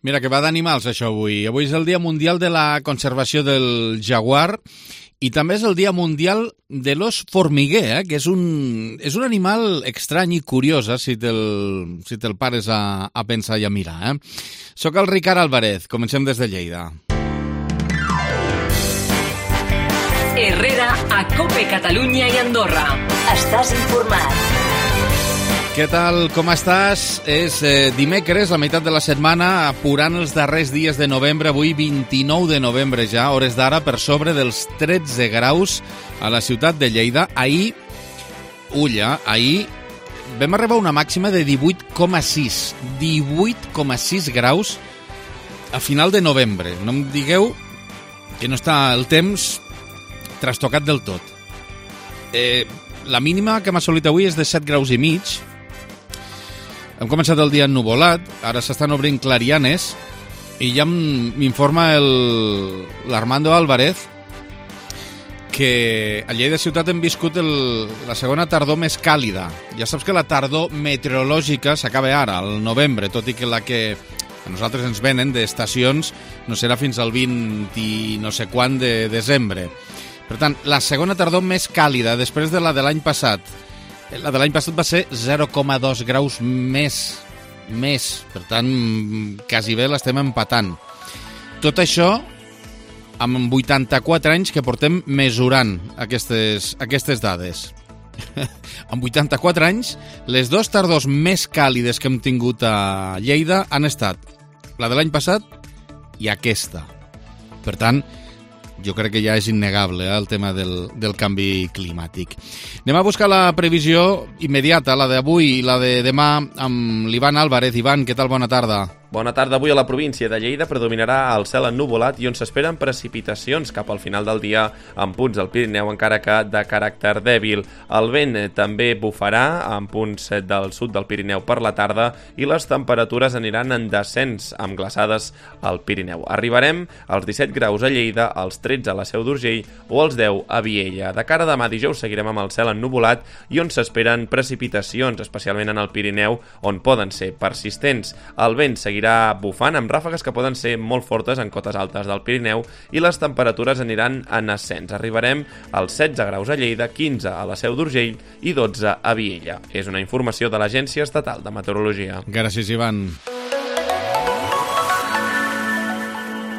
Mira, que va d'animals, això, avui. Avui és el Dia Mundial de la Conservació del Jaguar i també és el Dia Mundial de l'os formiguer, que és un animal estrany i curiós, si te'l pares a pensar i a mirar. Soc el Ricard Álvarez, comencem des de Lleida. Herrera, a COPE Catalunya i Andorra. Estàs informat. Què tal, com estàs? És dimecres, la meitat de la setmana, apurant els darrers dies de novembre, avui 29 de novembre ja, hores d'ara, per sobre dels 13 graus a la ciutat de Lleida. Ahir vam arribar a una màxima de 18,6. 18,6 graus a final de novembre. No em digueu que no està el temps trastocat del tot. La mínima que hem assolit avui és de 7 graus i mig. Hem començat el dia ennuvolat, ara s'estan obrint clarianes i ja m'informa l'Armando Álvarez que a Lleida ciutat hem viscut la segona tardor més càlida. Ja saps que la tardor meteorològica s'acaba ara, al novembre, tot i que la que a nosaltres ens venen d'estacions no serà fins al 20 i no sé quan de desembre. Per tant, la segona tardor més càlida després de la de l'any passat. La de l'any passat va ser 0,2 graus més. Per tant, quasi bé l'estem empatant. Tot això amb 84 anys que portem mesurant aquestes dades. Amb 84 anys, les dues tardors més càlides que hem tingut a Lleida han estat la de l'any passat i aquesta. Per tant, jo crec que ja és innegable el tema del canvi climàtic. Anem a buscar la previsió immediata, la d'avui i la de demà, amb l'Ivan Álvarez. Ivan, què tal? Bona tarda. Bona tarda. Avui a la província de Lleida predominarà el cel ennuvolat i on s'esperen precipitacions cap al final del dia en punts del Pirineu, encara que de caràcter dèbil. El vent també bufarà en punts del sud del Pirineu per la tarda i les temperatures aniran en descens amb glaçades al Pirineu. Arribarem als 17 graus a Lleida, als 13 a la Seu d'Urgell o als 10 a Viella. De cara a demà dijous seguirem amb el cel ennuvolat i on s'esperen precipitacions, especialment en el Pirineu, on poden ser persistents. El vent seguirà bufant amb ràfegues que poden ser molt fortes en cotes altes del Pirineu i les temperatures aniran en ascens. Arribarem als 16 graus a Lleida, 15 a la Seu d'Urgell i 12 a Viella. És una informació de l'Agència Estatal de Meteorologia. Gràcies, Ivan.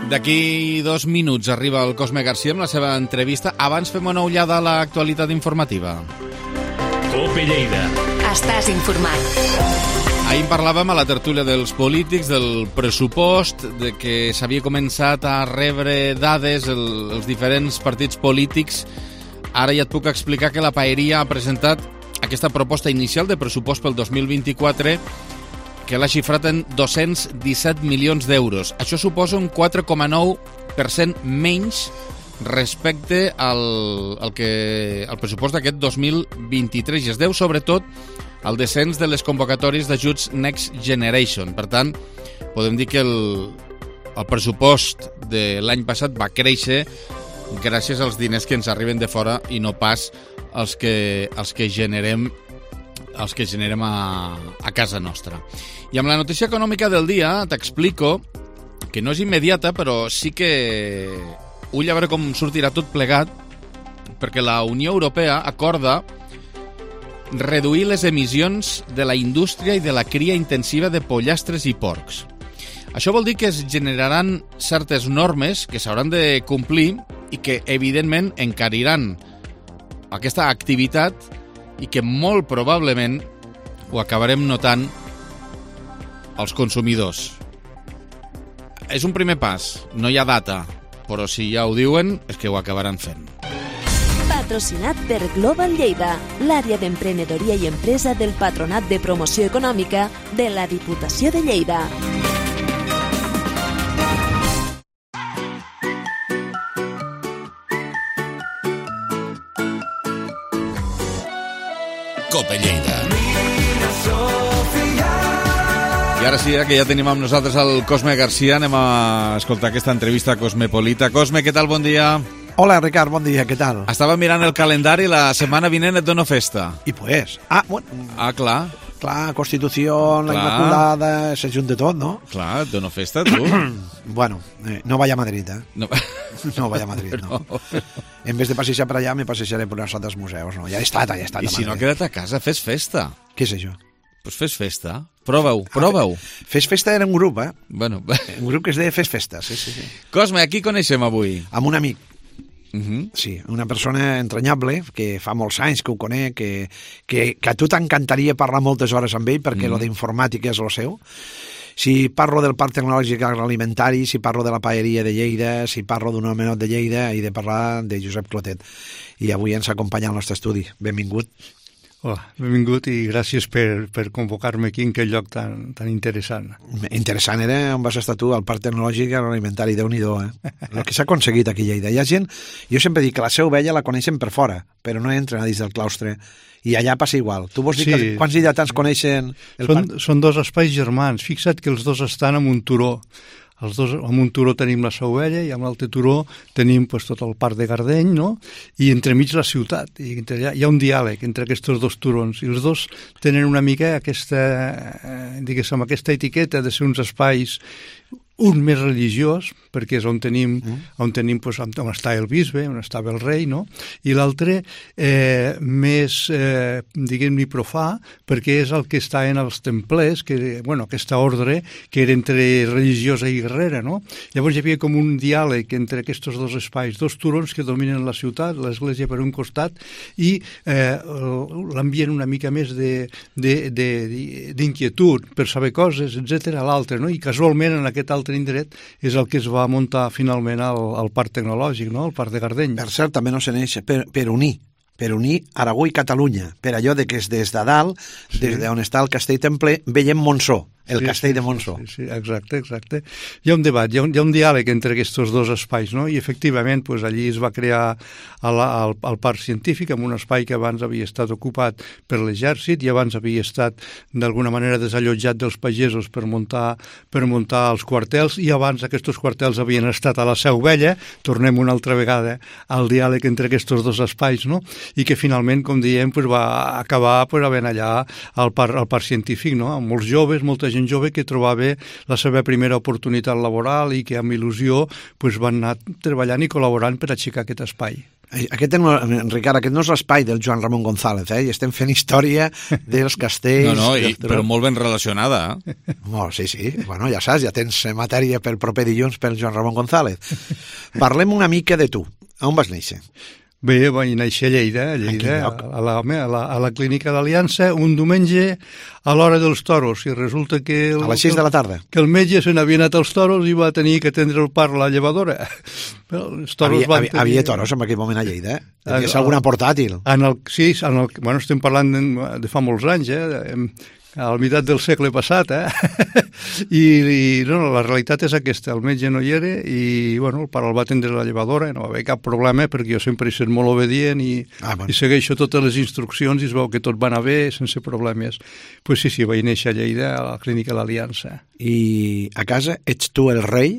D'aquí 2 minuts arriba el Cosme García amb la seva entrevista. Abans fem una ullada a l'actualitat informativa. COPE Lleida. Estàs informat. Ahir parlàvem a la tertúlia dels polítics, del pressupost, de que s'havia començat a rebre dades els diferents partits polítics. Ara ja et puc explicar que la Paeria ha presentat aquesta proposta inicial de pressupost pel 2024 que l'ha xifrat en 217 milions d'euros. Això suposa un 4,9% menys respecte al pressupost d'aquest 2023 i es deu sobretot al descens de les convocatòries d'ajuts Next Generation. Per tant, podem dir que el pressupost de l'any passat va créixer gràcies als diners que ens arriben de fora i no pas els que generem a casa nostra. I amb la notícia econòmica del dia t'explico que no és immediata, però sí que ull a veure com sortirà tot plegat, perquè la Unió Europea acorda reduir les emissions de la indústria i de la cria intensiva de pollastres i porcs. Això vol dir que es generaran certes normes que s'hauran de complir i que, evidentment, encariran aquesta activitat i que molt probablement ho acabarem notant els consumidors. És un primer pas, no hi ha data, però si ja ho diuen és que ho acabaran fent. Patrocinat per Global Lleida, l'àrea d'emprenedoria i empresa del Patronat de Promoció Econòmica de la Diputació de Lleida. COPE Lleida. I ara sí, que ja tenim amb nosaltres el Cosme García, anem a escoltar aquesta entrevista cosmopolita. Cosme, què tal? Bon dia. Hola, Ricard, bon dia, què tal? Estava mirant el calendari, la setmana vinent et dono festa. I pues... Clar. Clar, Constitució, la Inmaculada, se junta tot, no? Clar, et dono festa, tu. Bueno, no vaya a Madrid, No. No vaya a Madrid, no. En vez de passejar per allà, me passejaré per els altres museus, no? Ja he estat I a si no, Madrid. queda't a casa, fes festa. Què és això? Pues fes festa. Prova-ho. Fes Festa era un grup, Bueno. Un grup que es deia Fes Festa, sí. Cosme, a qui coneixem avui? Amb un amic. Uh-huh. Sí, una persona entranyable, que fa molts anys que ho conec, que a tu t'encantaria parlar moltes hores amb ell, perquè lo d'informàtica és lo seu. Si parlo del Parc Tecnològic Agroalimentari, si parlo de la paeria de Lleida, si parlo d'un homenot de Lleida, he de parlar de Josep Clotet. I avui ens acompanya al nostre estudi. Benvingut. Hola, benvingut i gràcies per convocar-me aquí en aquest lloc tan interessant. Interessant era on vas estar tu, al Parc Tecnològic Agroalimentari, Déu-n'hi-do, El que s'ha aconseguit aquí a Lleida. Hi ha gent, jo sempre dic que la Seu Vella la coneixen per fora, però no entren a dins del claustre. I allà passa igual. Tu vols dir que quants lleidatans coneixen el parc? Són dos espais germans. Fixa't que els dos estan en un turó. Els dos, en un turó tenim la Seu Vella i en l'altre turó tenim tot el Parc de Gardeny, no? I entremig la ciutat. I hi ha un diàleg entre aquests dos turons i els dos tenen una mica aquesta etiqueta de ser uns espais, un més religiós, perquè és on tenim on està el bisbe, on estava el rei, no? I l'altre més, diguem-ne, profà, perquè és el que està en els templers, aquesta ordre que era entre religiosa i guerrera, no? Llavors hi havia com un diàleg entre aquests dos espais, dos turons que dominen la ciutat, l'església per un costat, i l'ambient una mica més d'inquietud per saber coses, etc a l'altre, no? I casualment en aquest altre indret és el que es va muntar finalment al Parc Tecnològic, no? El Parc de Gardeny. Per cert, també no se neix per unir Aragó i Catalunya, per allò de que és des de dalt, des d'on està el Castell Templer, veiem Montsó, el castell de Montsó. Sí, exacte. Hi ha un debat, hi ha un diàleg entre aquests dos espais, no? I efectivament allí es va crear el parc científic, en un espai que abans havia estat ocupat per l'exèrcit i abans havia estat d'alguna manera desallotjat dels pagesos per muntar els quartels, i abans aquests quartels havien estat a la Seu Vella. Tornem una altra vegada al diàleg entre aquests dos espais, no? I que finalment, com diem, va acabar havent allà al parc científic, no? Amb molts joves, molta gent jove que trobava la seva primera oportunitat laboral i que amb il·lusió van anar treballant i col·laborant per aixecar aquest espai. Ricard, aquest no és l'espai del Joan Ramon González, i estem fent història dels castells... però molt ben relacionada. Sí, bueno, ja saps, ja tens matèria pel proper dilluns pel Joan Ramon González. Parlem una mica de tu. On vas néixer? Bé, vaig néixer a Lleida, a la clínica d'Aliança, un diumenge a l'hora dels toros, i resulta que... A les 6 de la tarda. Que el metge se n'havia anat als toros i va tenir que atendre el parc a la llevadora. Havia toros en aquell moment a Lleida, Tenies alguna portàtil? Estem parlant de fa molts anys, a la meitat del segle passat, I la realitat és aquesta, el metge no hi era i el pare el va atendre a la llevadora, no va haver cap problema perquè jo sempre he estat molt obedient i segueixo totes les instruccions i es veu que tot va anar bé sense problemes. Pues sí, vaig néixer a Lleida, a la clínica de l'Aliança. I a casa ets tu el rei?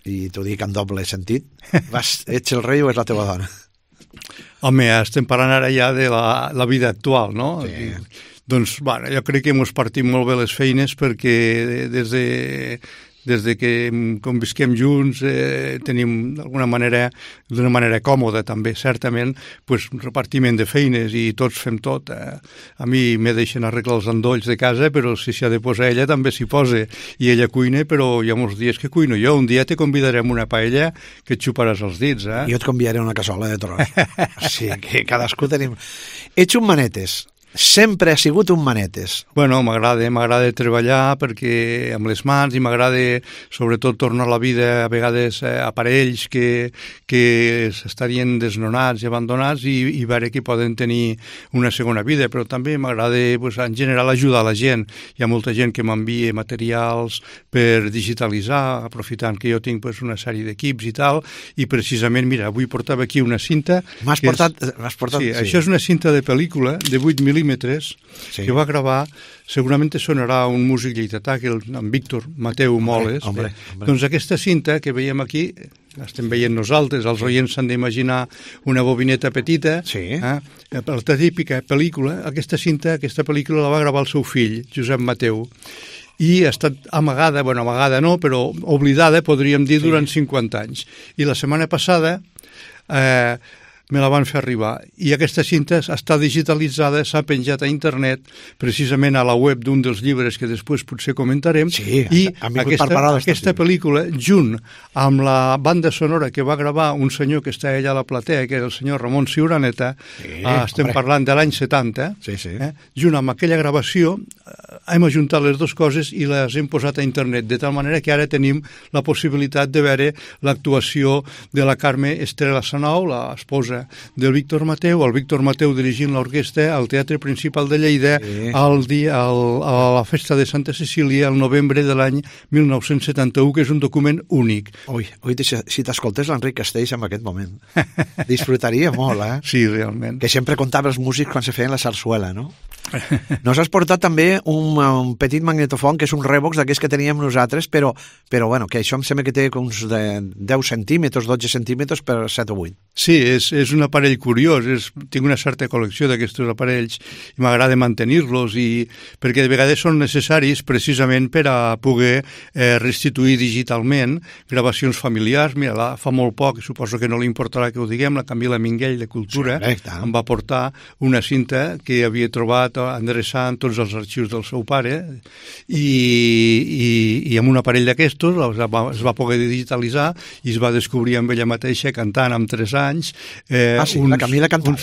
I t'ho dic en doble sentit. Ets el rei o és la teva dona? Home, estem parlant ara ja de la vida actual, no? Sí. Doncs, jo crec que ens partim molt bé les feines perquè des de que convisquem junts tenim d'una manera còmoda també, certament, repartiment de feines i tots fem tot. A mi me deixen arreglar els endolls de casa, però si s'ha de posar ella també s'hi posa, i ella cuina, però hi ha molts dies que cuino jo. Un dia te convidarem una paella que et xuparàs els dits. Jo et convidaré una cassola de tros. Sí, que cadascú tenim... Ets un manetes. Sempre ha sigut un manetes. Bueno, m'agrada treballar perquè amb les mans i m'agrada sobretot tornar a la vida a vegades a parells que estarien desnonats i abandonats i veure que poden tenir una segona vida, però també m'agrada en general ajudar la gent. Hi ha molta gent que m'envia materials per digitalitzar, aprofitant que jo tinc una sèrie d'equips i tal, i precisament, mira, avui portava aquí una cinta... M'has portat... Sí, això és una cinta de pel·lícula de 8 mil·límetres que va gravar, segurament te sonarà un músic lleidatà, en Víctor Mateu Moles. Doncs aquesta cinta que veiem aquí estem veient nosaltres, els oients s'han d'imaginar una bobineta petita, la típica pel·lícula, aquesta pel·lícula la va gravar el seu fill, Josep Mateu, i ha estat amagada, amagada no, però oblidada, podríem dir, durant 50 anys. I la setmana passada me la van fer arribar. I aquesta cinta està digitalitzada, s'ha penjat a internet, precisament a la web d'un dels llibres que després potser comentarem, i aquesta pel·lícula, junt amb la banda sonora que va gravar un senyor que està allà a la platea, que era el senyor Ramon Ciuraneta, estem parlant de l'any 70, junt amb aquella gravació, hem ajuntat les dues coses i les hem posat a internet, de tal manera que ara tenim la possibilitat de veure l'actuació de la Carme Estrela Sanau, l'esposa del Víctor Mateu, el Víctor Mateu dirigint l'orquestra al Teatre Principal de Lleida a la festa de Santa Cecília el novembre de l'any 1971, que és un document únic. Ui, si t'escoltés l'Enric Castells en aquest moment, disfrutaria molt, Sí, realment. Que sempre contava els músics quan se feien la sarsuela, no? Nos has portat també un petit magnetofon, que és un Revox d'aquells que teníem nosaltres, però bueno, que això em sembla que té uns 10 centímetres, 12 centímetres per 7 o 8. Sí, és un aparell curiós, tinc una certa col·lecció d'aquests aparells i m'agrada mantenir-los, perquè de vegades són necessaris precisament per a poder restituir digitalment gravacions familiars. Mira, fa molt poc, suposo que no li importarà que ho diguem, la Camila Minguell de Cultura em va portar una cinta que havia trobat endreçant tots els arxius del seu pare i amb un aparell d'aquestos es va poder digitalitzar i es va descobrir amb ella mateixa cantant amb 3 anys la Camila cantava,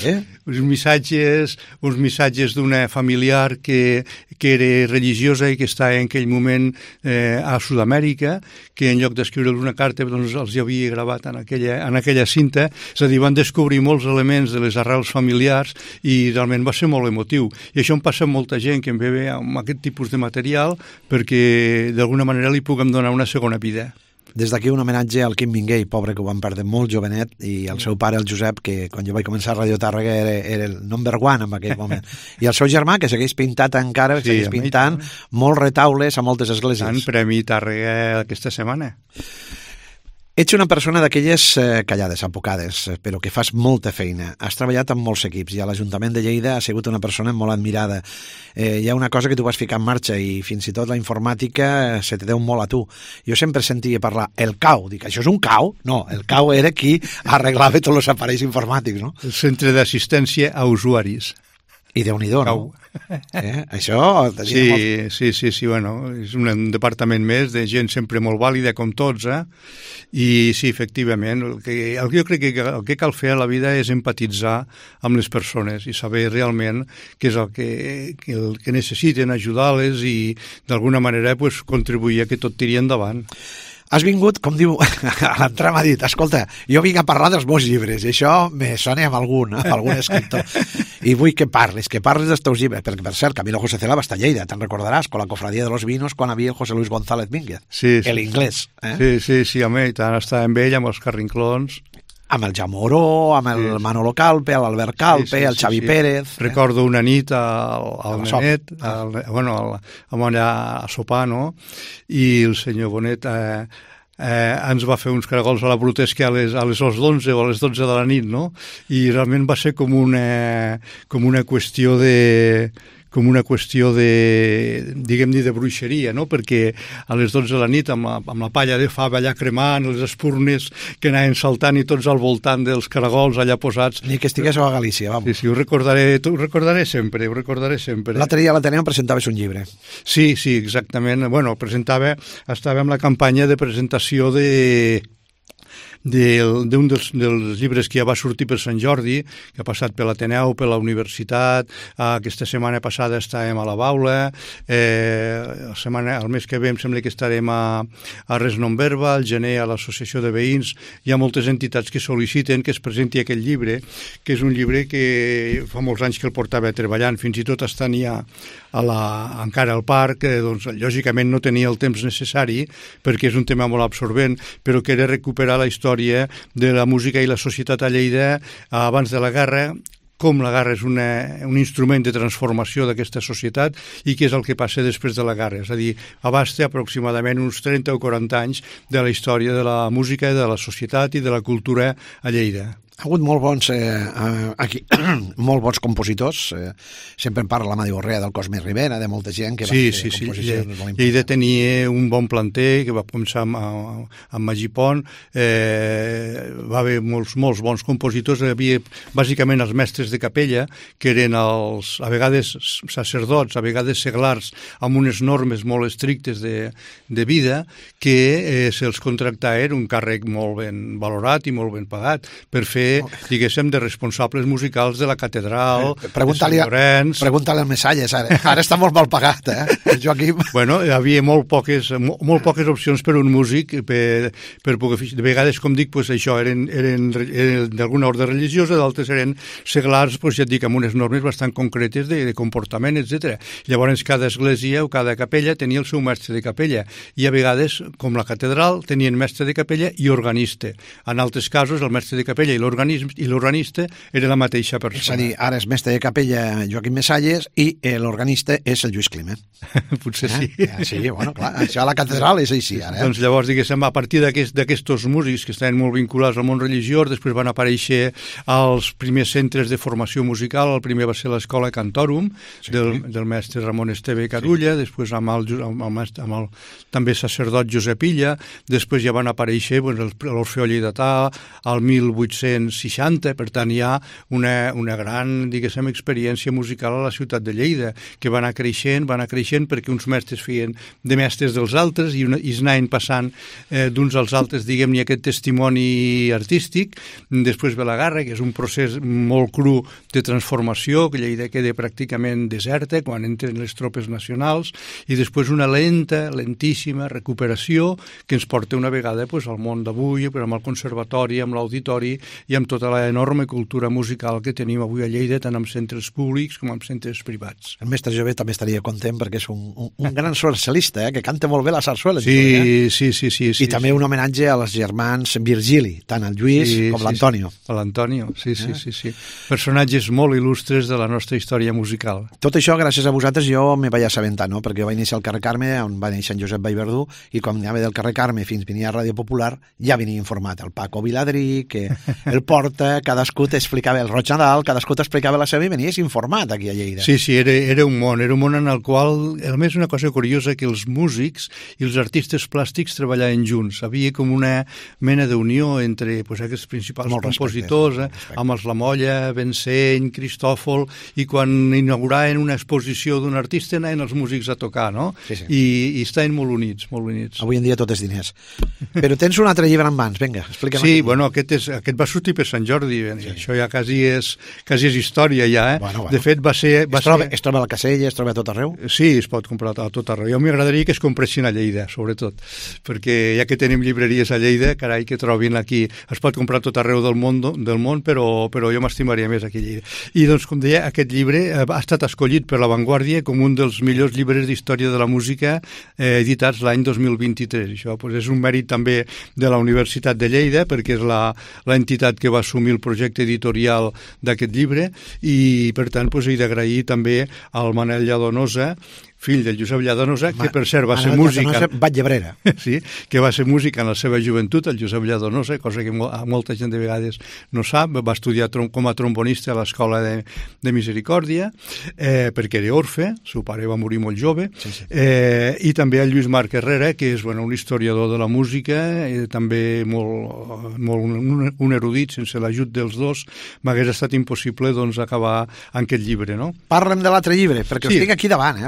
uns missatges d'una familiar que era religiosa i que estava en aquell moment a Sud-amèrica, que en lloc d'escriure una carta doncs els havia gravat en aquella cinta. És a dir, van descobrir molts elements de les arrels familiars i realment va ser molt emotiu. I això em passa amb molta gent que em ve amb aquest tipus de material perquè d'alguna manera li puguem donar una segona vida. Des d'aquí un homenatge al Quim Minguell, pobre, que ho van perdre molt jovenet, i al seu pare, el Josep, que quan jo vaig començar a Radio Tàrrega era el number one en aquell moment. I el seu germà, que segueix pintat encara, segueix pintant molts retaules a moltes esglésies. Tant Premi Tàrrega aquesta setmana. Ets una persona d'aquelles callades, apocades, però que fas molta feina. Has treballat amb molts equips i a l'Ajuntament de Lleida has sigut una persona molt admirada. Hi ha una cosa que tu vas ficar en marxa i fins i tot la informàtica se te deu molt a tu. Jo sempre sentia parlar el CAU. Dic, això és un CAU? No, el CAU era qui arreglava tots els aparells informàtics, no? El Centre d'Assistència a Usuaris. I Déu-n'hi-do, no? Això... Sí, bueno, és un departament més de gent sempre molt vàlida, com tots, I sí, efectivament, jo crec que el que cal fer a la vida és empatitzar amb les persones i saber realment què és el que necessiten, ajudar-les i d'alguna manera contribuir a que tot tiri endavant. Has vingut, com diu, a l'entrar m'ha dit, escolta, jo vinc a parlar dels meus llibres, i això me sona amb algun escriptor. I vull que parles dels teus llibres, perquè, per cert, Camilo José Cela va estar a Lleida, te'n recordaràs, con la Cofradía de los Vinos, quan havia el José Luis González Mínguez, l'inglès. Sí, home, i tant, estava amb ell, amb els carrinclons. Amb el Jamoró, amb el Manolo Calpe, l'Albert Calpe, el Xavi Pérez. Recordo una nit al Nenet, allà a sopar, no? I el senyor Bonet ens va fer uns caragols a la Brutesca a les 11 o a les 12 de la nit, no? I realment va ser com una qüestió de, diguem-ne, de bruixeria, no? Perquè a les 12 de la nit, amb la palla de fava allà cremant, les espurnes que anaven saltant i tots al voltant dels caragols allà posats. Ni que estiguéssiu a Galícia, vamos. Sí, ho recordaré sempre. L'altre dia a l'Ateneu presentaves un llibre. Sí, exactament. Bueno, estava en la campanya de presentació d'un dels llibres que ja va sortir per Sant Jordi, que ha passat per l'Ateneu, per la Universitat. Aquesta setmana passada estàvem a la Baula, el mes que ve em sembla que estarem a Res Non Verba, al gener a l'Associació de Veïns. Hi ha moltes entitats que sol·liciten que es presenti aquest llibre, que és un llibre que fa molts anys que el portava treballant, fins i tot estant ja encara al parc, doncs lògicament no tenia el temps necessari perquè és un tema molt absorbent, però que era recuperar la història de la música i la societat a Lleida abans de la guerra, com la guerra és un instrument de transformació d'aquesta societat i què és el que passa després de la guerra. És a dir, abasta aproximadament uns 30 o 40 anys de la història de la música, de la societat i de la cultura a Lleida. Ha hagut molt bons, aquí, molt bons compositors. Sempre en parla l'Amadeu Orrea del Cosme Rivera, de molta gent que va fer composicions molt importants. Lleida tenia un bon planter que va començar amb Magí Pont. Va haver molts bons compositors. Hi havia bàsicament els mestres de capella, que eren a vegades sacerdots, a vegades seglars, amb unes normes molt estrictes de vida, que se'ls contractava, era un càrrec molt ben valorat i molt ben pagat, per fer diguéssim, de responsables musicals de la catedral, de Sant Llorenç. Pregunta-li al Messalles, ara està molt mal pagat, Joaquim? Bueno, hi havia molt poques opcions per un músic per poder fer. De vegades, com dic, pues, això eren d'alguna ordre religiosa, d'altres eren seglars, pues, ja et dic, amb unes normes bastant concretes de comportament, etc. Llavors, cada església o cada capella tenia el seu mestre de capella, i a vegades, com la catedral, tenien mestre de capella i organista. En altres casos, el mestre de capella i l'organista era la mateixa persona. És a dir, ara és mestre de capella Joaquim Messalles i l'organista és el Lluís Climent. Potser sí. Sí, bueno, clar, això a la catedral és així, ara. Doncs llavors, diguéssim, a partir d'aquests músics que estaven molt vinculats al món religiós, després van aparèixer els primers centres de formació musical. El primer va ser l'Escola Cantorum, del mestre Ramon Esteve Carulla, després amb el també sacerdot Josep Illa, després ja van aparèixer l'Orfeó Lleidatà, al 1860, per tant hi ha una gran, diguéssim, experiència musical a la ciutat de Lleida, que va anar creixent perquè uns mestres feien de mestres dels altres i es anaven passant d'uns als altres, diguem-ne, aquest testimoni artístic. Després ve la guerra, que és un procés molt cru de transformació, que Lleida queda pràcticament deserta quan entren les tropes nacionals, i després una lentíssima recuperació que ens porta una vegada al món d'avui, amb el conservatori, amb l'auditori i amb tota l'enorme cultura musical que tenim avui a Lleida, tant en centres públics com en centres privats. El mestre Jové també estaria content perquè és un gran sarsuelista, que canta molt bé la sarsuela. Sí. I també un homenatge als germans Virgili, tant el Lluís com l'Antonio. L'Antonio, sí. Personatges molt il·lustres de la nostra història musical. Tot això, gràcies a vosaltres, jo me vaig assabentar, no? Perquè jo vaig néixer al carrer Carme, on va néixer en Josep Vallverdú, i quan anava del carrer Carme fins venia a Ràdio Popular, ja venia informat el Paco Viladrí, que el Porta, cadascú t'explicava el Roig Nadal, cadascú t'explicava la seva i venies informat aquí a Lleida. Sí, era un món en el qual, a més, una cosa curiosa, que els músics i els artistes plàstics treballaven junts. Havia com una mena d'unió entre aquests principals compositors, amb els Lamolla, Benseny, Cristòfol, i quan inauguraven una exposició d'un artista anaven els músics a tocar, no? Sí. I estaven molt units. Avui en dia tot és diners. Però tens un altre llibre en mans, vinga, explica'm. Sí, bueno, aquest va sortir per Sant Jordi, això ja quasi és història ja, Bueno. De fet, Es troba a la Casella, es troba a tot arreu? Sí, es pot comprar a tot arreu. Jo m'agradaria que es compressin a Lleida, sobretot, perquè ja que tenim llibreries a Lleida, carai, que trobin aquí. Es pot comprar a tot arreu del món, però jo m'estimaria més aquí a Lleida. I doncs, com deia, aquest llibre ha estat escollit per La Vanguardia com un dels millors llibres d'història de la música editats l'any 2023. Això és un mèrit també de la Universitat de Lleida, perquè és l'entitat que va assumir el projecte editorial d'aquest llibre, i per tant he d'agrair també al Manel Lladonosa, fill del Josep Lladonosa, que per cert va ser músic... Batlllebrera. Sí, que va ser músic en la seva joventut, el Josep Lladonosa, cosa que molta gent de vegades no sap. Va estudiar com a trombonista a l'Escola de Misericòrdia, perquè era orfe, seu pare va morir molt jove, i també el Lluís Marc Herrera, que és un historiador de la música, també un erudit. Sense l'ajut dels dos m'hagués estat impossible acabar en aquest llibre, no? Parla'm de l'altre llibre, perquè ho estic aquí davant,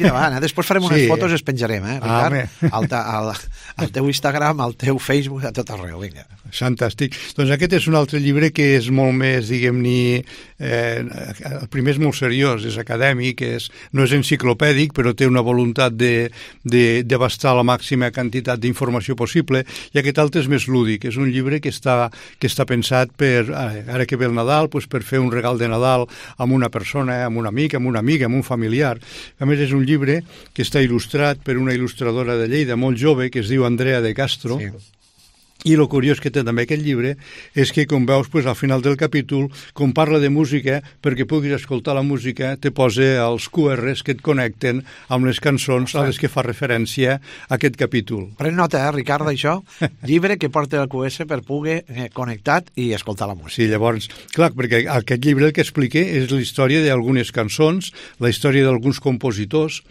Després farem unes fotos i es penjarem, Ricard, al teu Instagram, al teu Facebook, a tot arreu, vinga. Fantàstic. Doncs aquest és un altre llibre que és molt més, diguem-ne, el primer és molt seriós, és acadèmic, no és enciclopèdic, però té una voluntat d'abastar la màxima quantitat d'informació possible, i aquest altre és més lúdic. És un llibre que està pensat per, ara que ve el Nadal, per fer un regal de Nadal amb una persona, amb un amic, amb una amiga, amb un familiar. A més, és un llibre que està il·lustrat per una il·lustradora de Lleida molt jove, que es diu Andrea de Castro, I el curiós que té també aquest llibre és que, com veus, al final del capítol, com parla de música, perquè puguis escoltar la música, te posa els QRs que et connecten amb les cançons a les que fa referència a aquest capítol. Pren nota, Ricard, d'això. Llibre que porta el QS per poder connectat i escoltar la música. Sí, llavors, clar, perquè aquest llibre el que explica és la història d'algunes cançons, la història d'alguns compositors,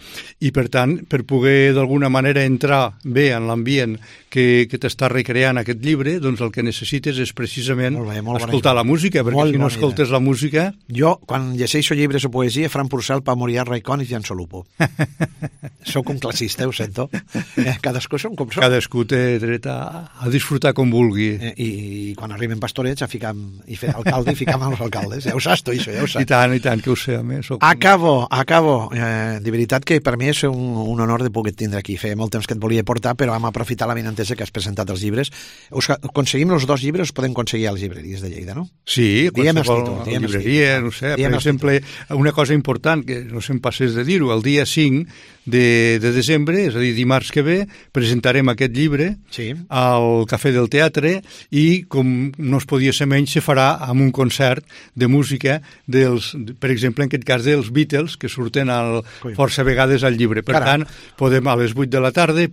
i per tant, per poder d'alguna manera entrar bé en l'ambient que t'està recreant aquest llibre, doncs el que necessites és precisament escoltar la música, perquè si no escoltes la música... Jo, quan llegeixo llibres o poesia, Fran Purcell, Pau Morià, Raikkonen i Jan Solupo. Soc un classista, ho sento. Cadascú som com som. Cadascú té dret a disfrutar com vulgui. I quan arriben pastorets a ficar i fer alcalde i ficar amb els alcaldes. Ja ho saps, tu, això, ja ho saps. I tant, que ho sé, a més. Acabo. De veritat que per mi és un honor de poder tindre aquí. Feia molt temps que et volia portar, però vam aprofitar la benentesa que has presentat els llibres. Aconseguim els 2 llibres, podem aconseguir a les llibreries de Lleida, no? Sí, qualsevol llibreria, no sé. Per exemple, una cosa important, que no se'm passés de dir-ho, el dia 5 de desembre, és a dir, dimarts que ve, presentarem aquest llibre al Cafè del Teatre i, com no es podia ser menys, se farà amb un concert de música per exemple, en aquest cas dels Beatles, que surten força vegades al llibre. Per tant, podem a les 8 de la tarda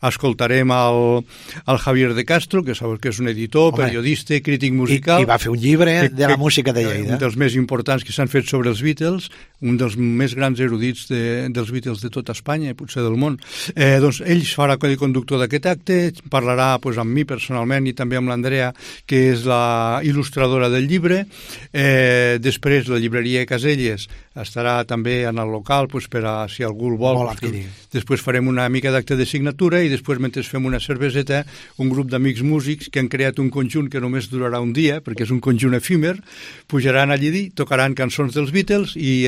escoltarem el Javier de Castro, que sabeu que és un editor, periodista, crític musical. I va fer un llibre de la música de Lleida. Un dels més importants que s'han fet sobre els Beatles, un dels més grans erudits dels Beatles de tota Espanya i potser del món. Doncs ell farà el conductor d'aquest acte, parlarà amb mi personalment i també amb l'Andrea, que és la il·lustradora del llibre. Després la llibreria Caselles estarà també en el local per a si algú el vol. Després farem una mica d'acte de signatura i després, mentre fem una cerveseta, un grup d'amics músics que han creat un conjunt que només durarà un dia, perquè és un conjunt efímer, pujaran allí, tocaran cançons dels Beatles i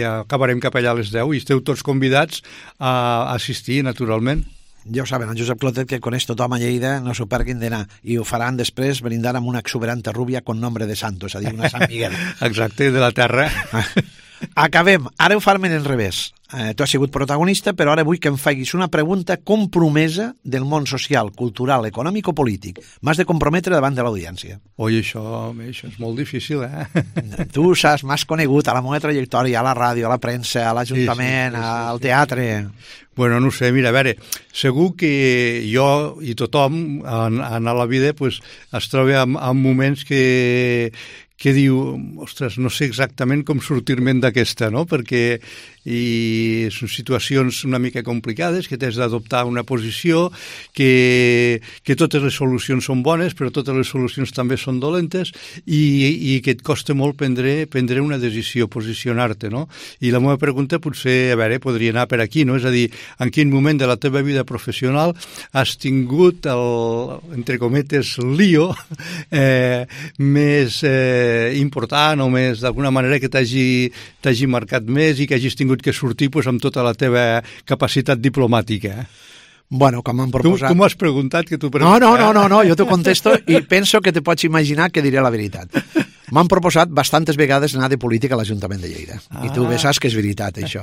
acabarem cap allà a les 10 i esteu tots convidats a assistir, naturalment. Ja ho saben, en Josep Clotet, que coneix tothom a Lleida, no s'ho perguin d'anar. I ho faran després brindant amb una exuberante rubia con nombre de santo, és a dir, una Sant Miguel. Exacte, de la terra. Acabem. Ara ho farem en revés. Tu has sigut protagonista, però ara vull que em facis una pregunta compromesa del món social, cultural, econòmic o polític. M'has de comprometre davant de l'audiència. Oi, això és molt difícil, Tu saps, m'has conegut a la meva trajectòria, a la ràdio, a la premsa, a l'Ajuntament, al teatre... Bueno, no sé, mira, a veure, segur que jo i tothom a la vida es troba en moments que diu, ostres, no sé exactament com sortir-me'n d'aquesta, no? Perquè són situacions una mica complicades, que t'has d'adoptar una posició, que totes les solucions són bones, però totes les solucions també són dolentes i que et costa molt prendre una decisió, posicionar-te, no? I la meva pregunta potser, a veure, podria anar per aquí, no? És a dir, en quin moment de la teva vida professional has tingut entre cometes, lío més important o més, d'alguna manera, que t'hagi marcat més i que hagis tingut que sortir amb tota la teva capacitat diplomàtica. Bueno, com m'han proposat... Tu m'has preguntat que tu... No, jo t'ho contesto i penso que te pots imaginar que diré la veritat. M'han proposat bastantes vegades anar de política a l'Ajuntament de Lleida. I tu bé saps que és veritat, això.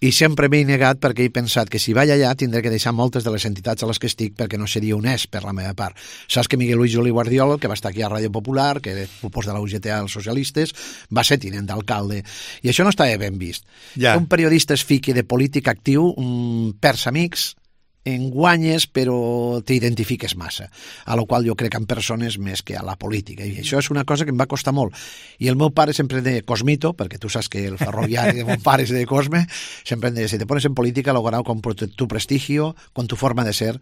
I sempre m'he negat perquè he pensat que si vaig allà tindré que deixar moltes de les entitats a les que estic perquè no seria honest per la meva part. Saps que Miguel Luis Juli Guardiola, que va estar aquí a Ràdio Popular, que propos de la UGT als socialistes, va ser tinent d'alcalde. I això no estava ben vist. Ja. Un periodista es fiqui de polític actiu, perds amics, en guanyes però t'identifiques massa, a la qual jo crec en persones més que a la política, i això és una cosa que em va costar molt. I el meu pare sempre de Cosmito, perquè tu saps que el ferroviari de mon pare és de Cosme, sempre em deia, si te pones en política lo ganado con tu prestigio, con tu forma de ser,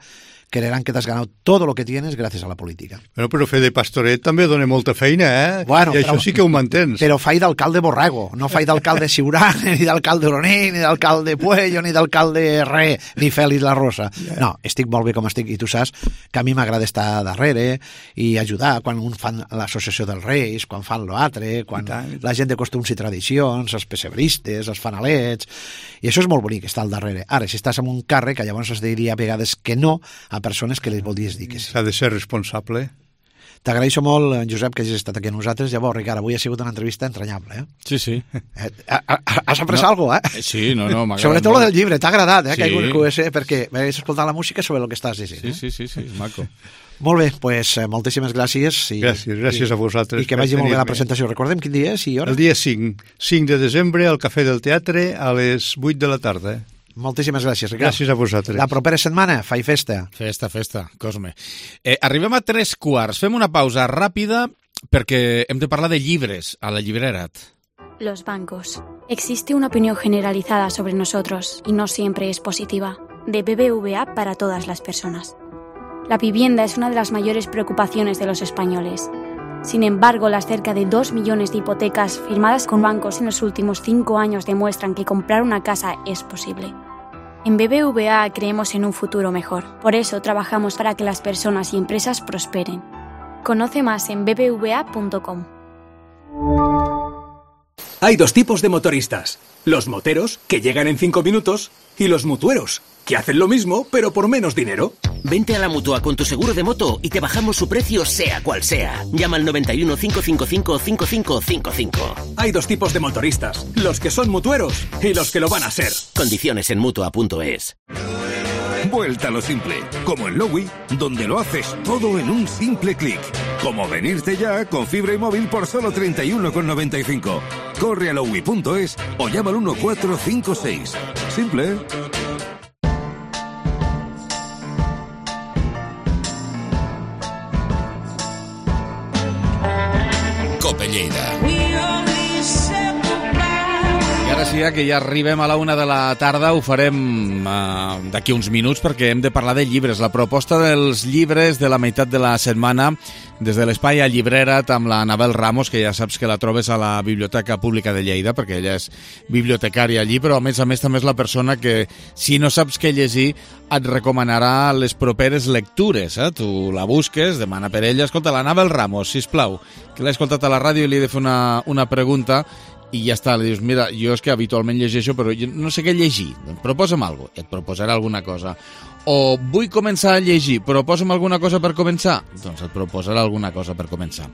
creerán que t'has ganado todo lo que tienes gràcies a la política. Bueno, però fer de pastoret també dona molta feina, Bueno, i això sí que ho mantens. Però faig d'alcalde Borrego, no faig d'alcalde Siurana, ni d'alcalde Oroní, ni d'alcalde Puello, ni d'alcalde Re, ni Fèlix La Rosa. No, estic molt bé com estic, i tu saps que a mi m'agrada estar darrere i ajudar quan fan l'associació dels Reis, quan fan l'altre, quan la gent de costums i tradicions, els pessebristes, els fanalets, i això és molt bonic, estar al darrere. Ara, si estàs en un càrrec, llavors es diria a vegades que no a persones que les voldries dir que sí. S'ha de ser responsable. T'agraeixo molt, Josep, que hagis estat aquí amb nosaltres. Llavors, Ricard, avui ha sigut una entrevista entranyable, Sí. Has après alguna cosa, Sí, no, m'agrada. Sobretot lo del llibre, t'ha agradat, Sí. que hagi perquè m'hagués escoltat la música sobre el que estàs dient. Sí, és maco. Molt bé, doncs moltíssimes gràcies. Gràcies a vosaltres. I que vagi molt bé la presentació. Recordem quin dia és i hora? El dia 5 de desembre, al Cafè del Teatre, a les 8 de la tarda. Moltíssimes gràcies, Ricard. Gràcies a vosaltres. La propera setmana, fai festa. Festa, Cosme. Arribem a 3:15. Fem una pausa ràpida perquè hem de parlar de llibres a la Llibrerat. Los bancos. Existe una opinión generalizada sobre nosotros y no siempre es positiva. De BBVA para todas las personas. La vivienda es una de las mayores preocupaciones de los españoles. Sin embargo, las cerca de 2 millones de hipotecas firmadas con bancos en los últimos 5 años demuestran que comprar una casa es posible. En BBVA creemos en un futuro mejor. Por eso trabajamos para que las personas y empresas prosperen. Conoce más en bbva.com. Hay dos tipos de motoristas. Los moteros, que llegan en 5 minutos, y los mutueros, que hacen lo mismo, pero por menos dinero. Vente a la Mutua con tu seguro de moto y te bajamos su precio sea cual sea. Llama al 91 555 5555. Hay dos tipos de motoristas, los que son mutueros y los que lo van a ser. Condiciones en Mutua.es. Vuelta a lo simple, como en Lowy, donde lo haces todo en un simple clic. Como venirte ya con fibra y móvil por solo 31,95. Corre a lowy.es o llama al 1456. Simple, ¿eh? Cope Lleida. I ara sí, que ja arribem a la 1 de la tarda, ho farem d'aquí uns minuts perquè hem de parlar de llibres. La proposta dels llibres de la meitat de la setmana des de l'espai a Llibrerat amb la Anabel Ramos, que ja saps que la trobes a la Biblioteca Pública de Lleida, perquè ella és bibliotecària allí, però a més també és la persona que, si no saps què llegir, et recomanarà les properes lectures. Tu la busques, demana per ella. Escolta, l'Anabel Ramos, sisplau, que l'he escoltat a la ràdio i li he de fer una pregunta i ja està, li dius, mira, jo és que habitualment llegeixo, però no sé què llegir, proposa'm alguna cosa, et proposarà alguna cosa. O vull començar a llegir, proposa'm alguna cosa per començar, doncs et proposarà alguna cosa per començar.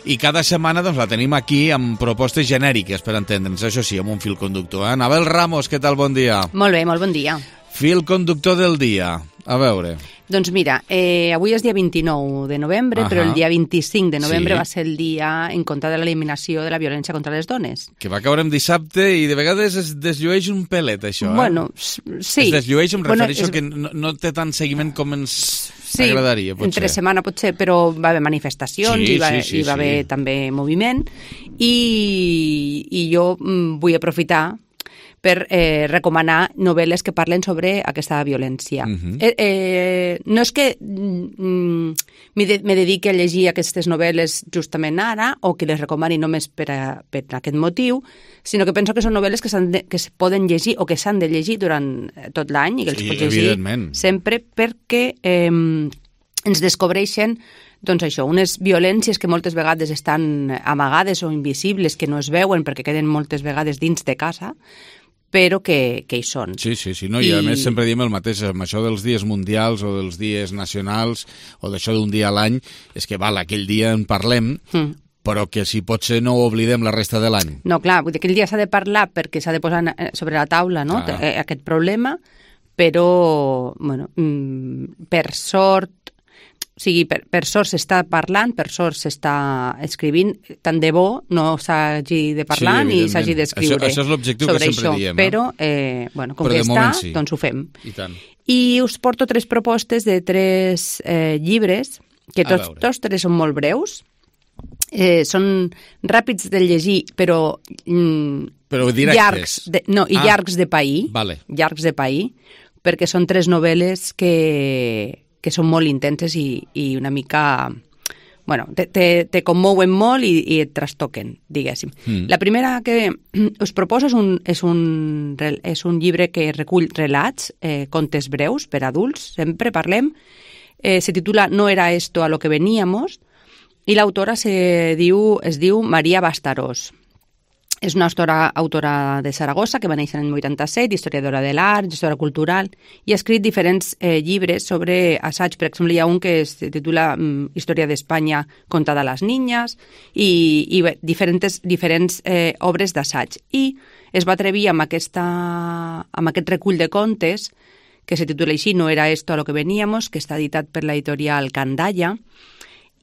I cada setmana doncs, la tenim aquí amb propostes genèriques, per entendre'ns, això sí, amb un fil conductor. Anabel Ramos, què tal, bon dia? Molt bé, molt bon dia. Fil conductor del dia, a veure. Doncs mira, avui és dia 29 de novembre, però el dia 25 de novembre va ser el dia en contra de l'eliminació de la violència contra les dones. Que va caure en dissabte i de vegades es desllueix un pelet, això. Bueno, sí. Es desllueix, em refereixo que no té tant seguiment com ens agradaria, potser. Entre setmana potser, però va haver manifestacions i va haver també moviment. I jo vull aprofitar per recomanar novel·les que parlen sobre aquesta violència. No és que me dediqui a llegir aquestes novel·les justament ara o que les recomani només per aquest motiu, sinó que penso que són novel·les que es poden llegir o que s'han de llegir durant tot l'any i que els pots llegir sempre perquè ens descobreixen doncs això, unes violències que moltes vegades estan amagades o invisibles, que no es veuen perquè queden moltes vegades dins de casa, però que hi són. Sí, no? I a més sempre diem el mateix, amb això dels dies mundials o dels dies nacionals o d'això d'un dia a l'any, és que val, aquell dia en parlem, però que si pot ser no ho oblidem la resta de l'any. No, clar, vull dir, aquell dia s'ha de parlar perquè s'ha de posar sobre la taula, no?, aquest problema, però, bueno, per sort, o sigui, per sort s'està parlant, per sort s'està escrivint, tant de bo no s'hagi de parlar ni s'hagi d'escriure. Això és l'objectiu que sempre diem. Però, com que està, doncs ho fem. I us porto 3 propostes de 3 llibres, que tots 3 són molt breus, són ràpids de llegir, però directes. Llargs de pair. Llargs de pair, perquè són 3 novel·les que són molt intenses i una mica... Bueno, te commouen molt i et trastoquen, diguéssim. La primera que us proposo és un llibre que recull relats, contes breus per adults, sempre parlem. Se titula No era esto a lo que veníamos i l'autora es diu Maria Bastarós. és una autora de Saragossa que va néixer l'any 87, historiadora de l'art, gestora cultural, i ha escrit diferents llibres sobre assaig. Per exemple, hi ha un que es titula Història d'Espanya contada a les niñas i diferents obres d'assaig. I es va atrevir amb aquest recull de contes que se titula així, No era esto a lo que veníamos, que està editat per l'editorial Candaya,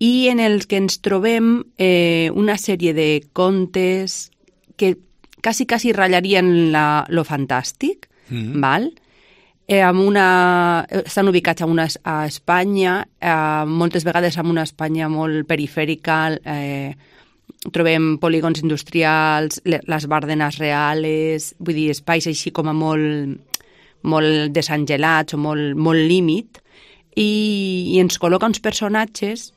i en el que ens trobem una sèrie de contes que quasi ratllarien lo fantàstic, val? Estan ubicats a Espanya, moltes vegades en una Espanya molt perifèrica, trobem polígons industrials, les Bárdenas reales, vull dir, espais així com a molt desangelats o molt límit, i ens col·loca uns personatges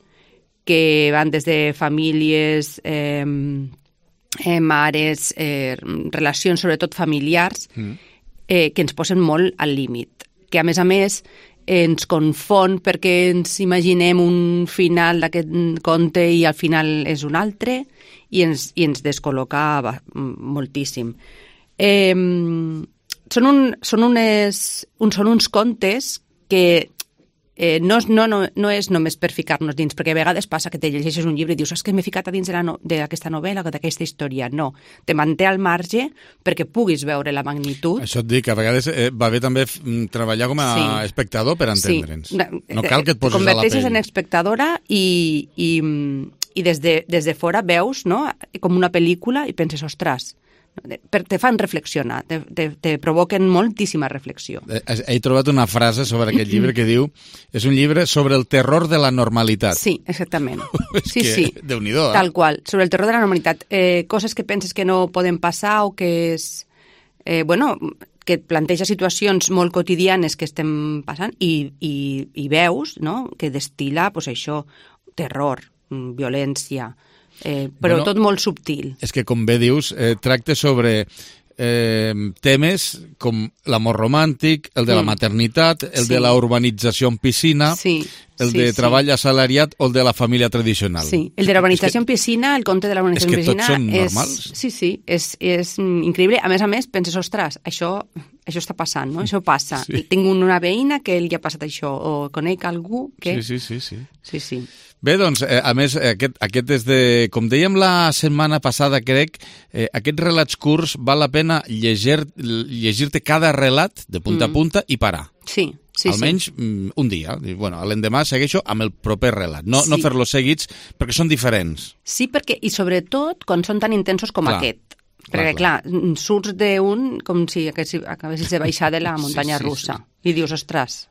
que van des de famílies, mares, relacions sobretot familiars, que ens posen molt al límit. Que a més ens confon perquè ens imaginem un final d'aquest conte i al final és un altre i ens descol·loca moltíssim. Són uns contes que no és només per ficar-nos dins, perquè a vegades passa que te llegeixes un llibre i dius que m'he ficat a dins d'aquesta novel·la o d'aquesta història. No, te manté al marge perquè puguis veure la magnitud. Això et dic, que a vegades va bé també treballar com a espectador per entendre'ns. No cal que et poses a la pell. Te converteixes en espectadora i des de fora veus, no?, com una pel·lícula i penses, ostres, te fan reflexionar, te provoquen moltíssima reflexió. He trobat una frase sobre aquest llibre que diu és un llibre sobre el terror de la normalitat. Sí, exactament. Sí. Déu-n'hi-do, Tal qual, sobre el terror de la normalitat. Coses que penses que no poden passar o que és... que et planteja situacions molt quotidianes que estem passant i veus, no?, que destila, doncs això, terror, violència... però tot molt subtil. És que, com bé dius, tracta sobre temes com l'amor romàntic, el de la maternitat, el de la urbanització en piscina, el de treball assalariat o el de la família tradicional. Sí, el de la urbanització en piscina, el conte de la urbanització en piscina... És que tots són normals. Sí, és increïble. A més, penses, ostres, això està passant, no? Això passa. Tinc una veïna que li ha passat això, o conec algú que... Sí. Bé, doncs, a més, aquest és de... Com dèiem la setmana passada, crec, aquests relats curts val la pena llegir-te cada relat de punta a punta i parar. Sí. Almenys un dia. Bueno, l'endemà segueixo amb el proper relat. No fer-los seguits perquè són diferents. Sí, perquè, i sobretot quan són tan intensos com aquest. Perquè, clar, surts d'un com si acabessis de baixar de la muntanya russa. I dius, ostres,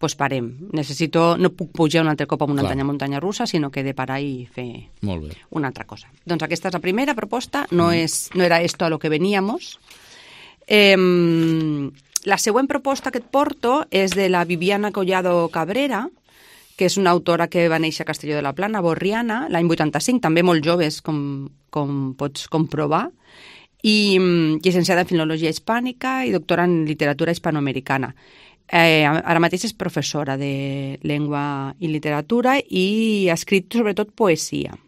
doncs parem. No puc pujar un altre cop a una muntanya russa, sinó que he de parar i fer una altra cosa. Doncs aquesta és la primera proposta, no era esto a lo que veníamos. La següent proposta que et porto és de la Viviana Collado Cabrera, que és una autora que va néixer a Castelló de la Plana, borriana, l'any 85, també molt joves, com pots comprovar, i llicenciada en Filologia Hispànica i doctora en Literatura Hispanoamericana. Ara mateix és professora de Llengua i Literatura i ha escrit sobretot poesia.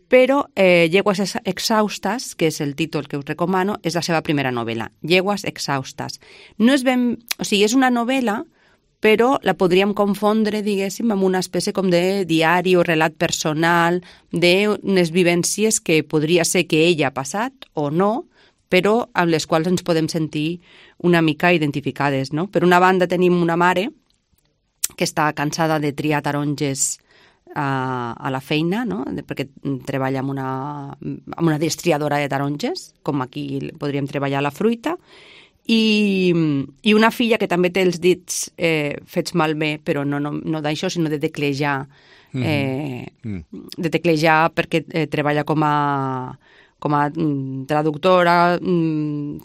Però Llegues exhaustes, que és el títol que us recomano, és la seva primera novel·la, Llegues exhaustes. No és és una novel·la, però la podríem confondre, diguéssim, amb una espècie com de diari o relat personal d'unes vivències que podria ser que ella ha passat o no, però amb les quals ens podem sentir una mica identificades, no? Per una banda tenim una mare que està cansada de triar taronges a la feina, no? Perquè treballa amb una destriadora de taronges, com aquí podríem treballar la fruita, i una filla que també té els dits fets malbé, però no d'això, sinó de teclejar, perquè treballa com a traductora,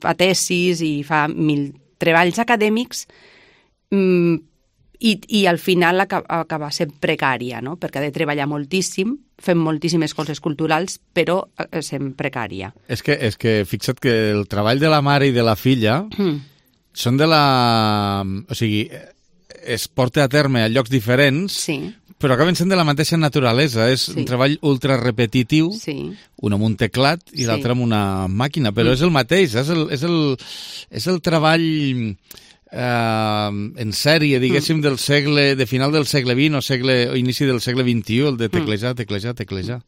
fa tesis i fa 1000 treballs acadèmics, i al final acaba sent precària, no? Perquè ha de treballar moltíssim, fem moltíssimes coses culturals, però sent precària. És que fixa't que el treball de la mare i de la filla són de la... O sigui, es porta a terme a llocs diferents, però acaben sent de la mateixa naturalesa. És un treball ultra repetitiu, un amb un teclat i l'altre amb una màquina, però és el mateix, és el treball en sèrie, diguéssim, de final del segle XX o inici del segle XXI, el de teclejar.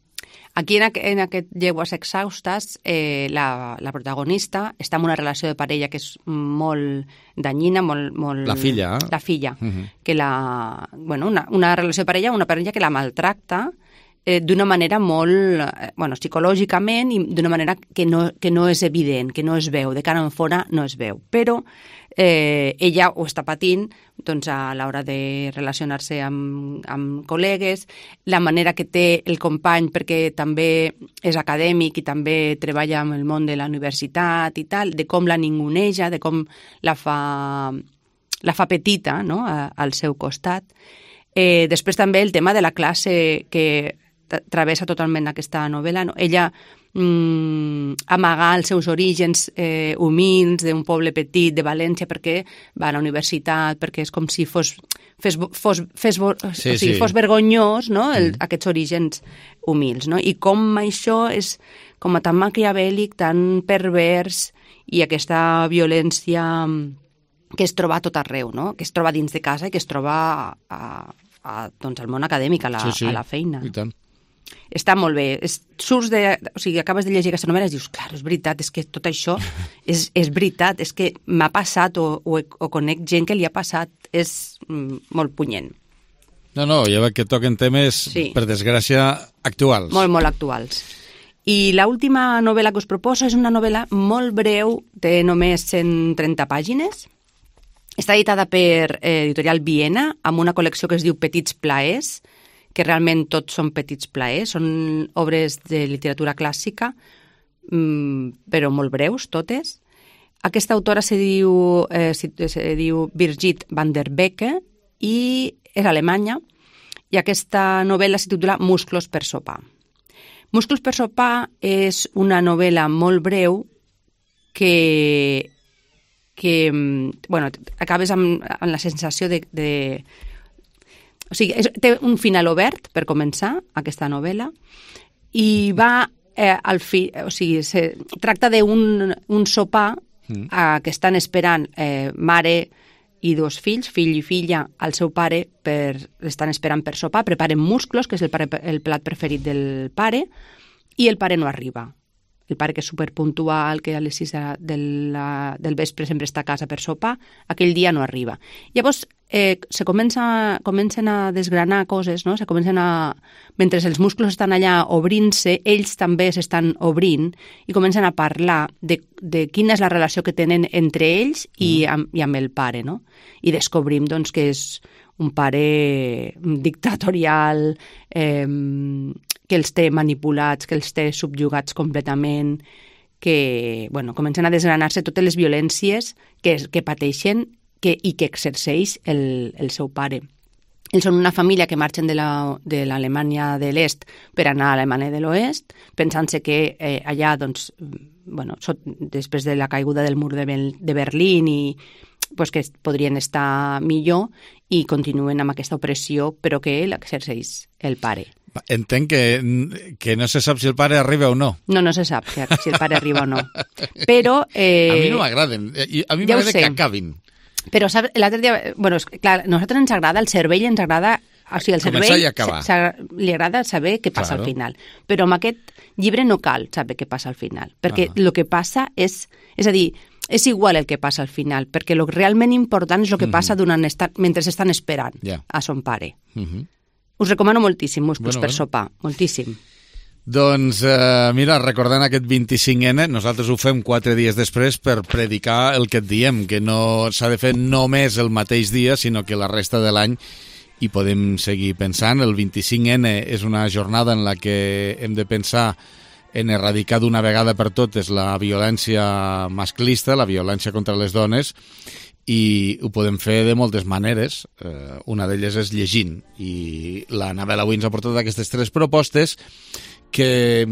Aquí, en aquest Llegües exhaustes, la protagonista està en una relació de parella que és molt danyina, molt... La filla. La filla. Que una relació de parella, una parella que la maltracta d'una manera molt... psicològicament i d'una manera que no és evident, que no es veu, de cara en fora no es veu. Però ella ho està patint a l'hora de relacionar-se amb col·legues, la manera que té el company, perquè també és acadèmic i també treballa en el món de la universitat i tal, de com la ninguneja, de com la fa petita, no?, al seu costat. Després també el tema de la classe que travessa totalment aquesta novel·la, no? Ella amagar els seus orígens humils d'un poble petit de València perquè va a la universitat, perquè és com si fos vergonyós, no? Aquests orígens humils, no? I com això és com tan maquiavèlic, tan pervers, i aquesta violència que es troba a tot arreu, no? Que es troba dins de casa i que es troba al món acadèmic, a la feina. I tant. Està molt bé. Acabes de llegir aquesta novel·la i dius, clar, és veritat, és que tot això és veritat, és que m'ha passat o conec gent que li ha passat. És molt punyent. No, ja veig que toquen temes, per desgràcia, actuals. Molt, molt actuals. I l'última novel·la que us proposo és una novel·la molt breu, té només 130 pàgines. Està editada per Editorial Viena, amb una col·lecció que es diu Petits plaers, que realment tots són petits plaers, són obres de literatura clàssica, però molt breus, totes. Aquesta autora se diu Birgit van der Becke i és alemanya, i aquesta novel·la se titula Musclos per sopar. Musclos per sopar és una novel·la molt breu que acabes amb la sensació de o sigui, té un final obert, per començar, aquesta novel·la, i va tracta d'un sopar que estan esperant mare i dos fills, fill i filla, al seu pare, l'estan esperant per sopar, preparen musclos, que és el plat preferit del pare, i el pare no arriba. El pare, que és superpuntual, que a les 6 del vespre sempre està a casa per sopar, aquell dia no arriba. Llavors, comencen a desgranar coses, no? Mentre els musclos estan allà obrint-se, ells també s'estan obrint i comencen a parlar de quina és la relació que tenen entre ells i amb el pare, no? I descobrim, doncs, que és un pare dictatorial, que els té manipulats, que els té subjugats completament, que comencen a desgranar-se totes les violències que pateixen i que exerceix el seu pare. Ells són una família que marxen de l'Alemanya de l'Est per anar a l'Alemanya de l'Oest, pensant-se que allà, després de la caiguda del mur de Berlín, que podrien estar millor, i continuen amb aquesta opressió, però que l'exerceix el pare. Entenc que no se sap si el pare arriba o no. No se sap si el pare arriba o no. Però... a mi no m'agraden. A mi m'agrada que acabin. Però l'altre dia... clar, a nosaltres ens agrada, el cervell ens agrada... O sigui, el cervell li agrada saber què passa al final. Però amb aquest llibre no cal saber què passa al final. Perquè el que passa és a dir, és igual el que passa al final, perquè el realment important és el que passa mentre estan esperant a son pare. Us recomano moltíssim Musclos per sopar, moltíssim. Doncs, mira, recordant aquest 25N, nosaltres ho fem 4 dies després per predicar el que et diem, que no s'ha de fer només el mateix dia, sinó que la resta de l'any hi podem seguir pensant. El 25N és una jornada en la que hem de pensar en erradicar d'una vegada per totes la violència masclista, la violència contra les dones, i ho podem fer de moltes maneres. Una d'elles és llegint, i la Anabel avui ens ha portat aquestes 3 propostes que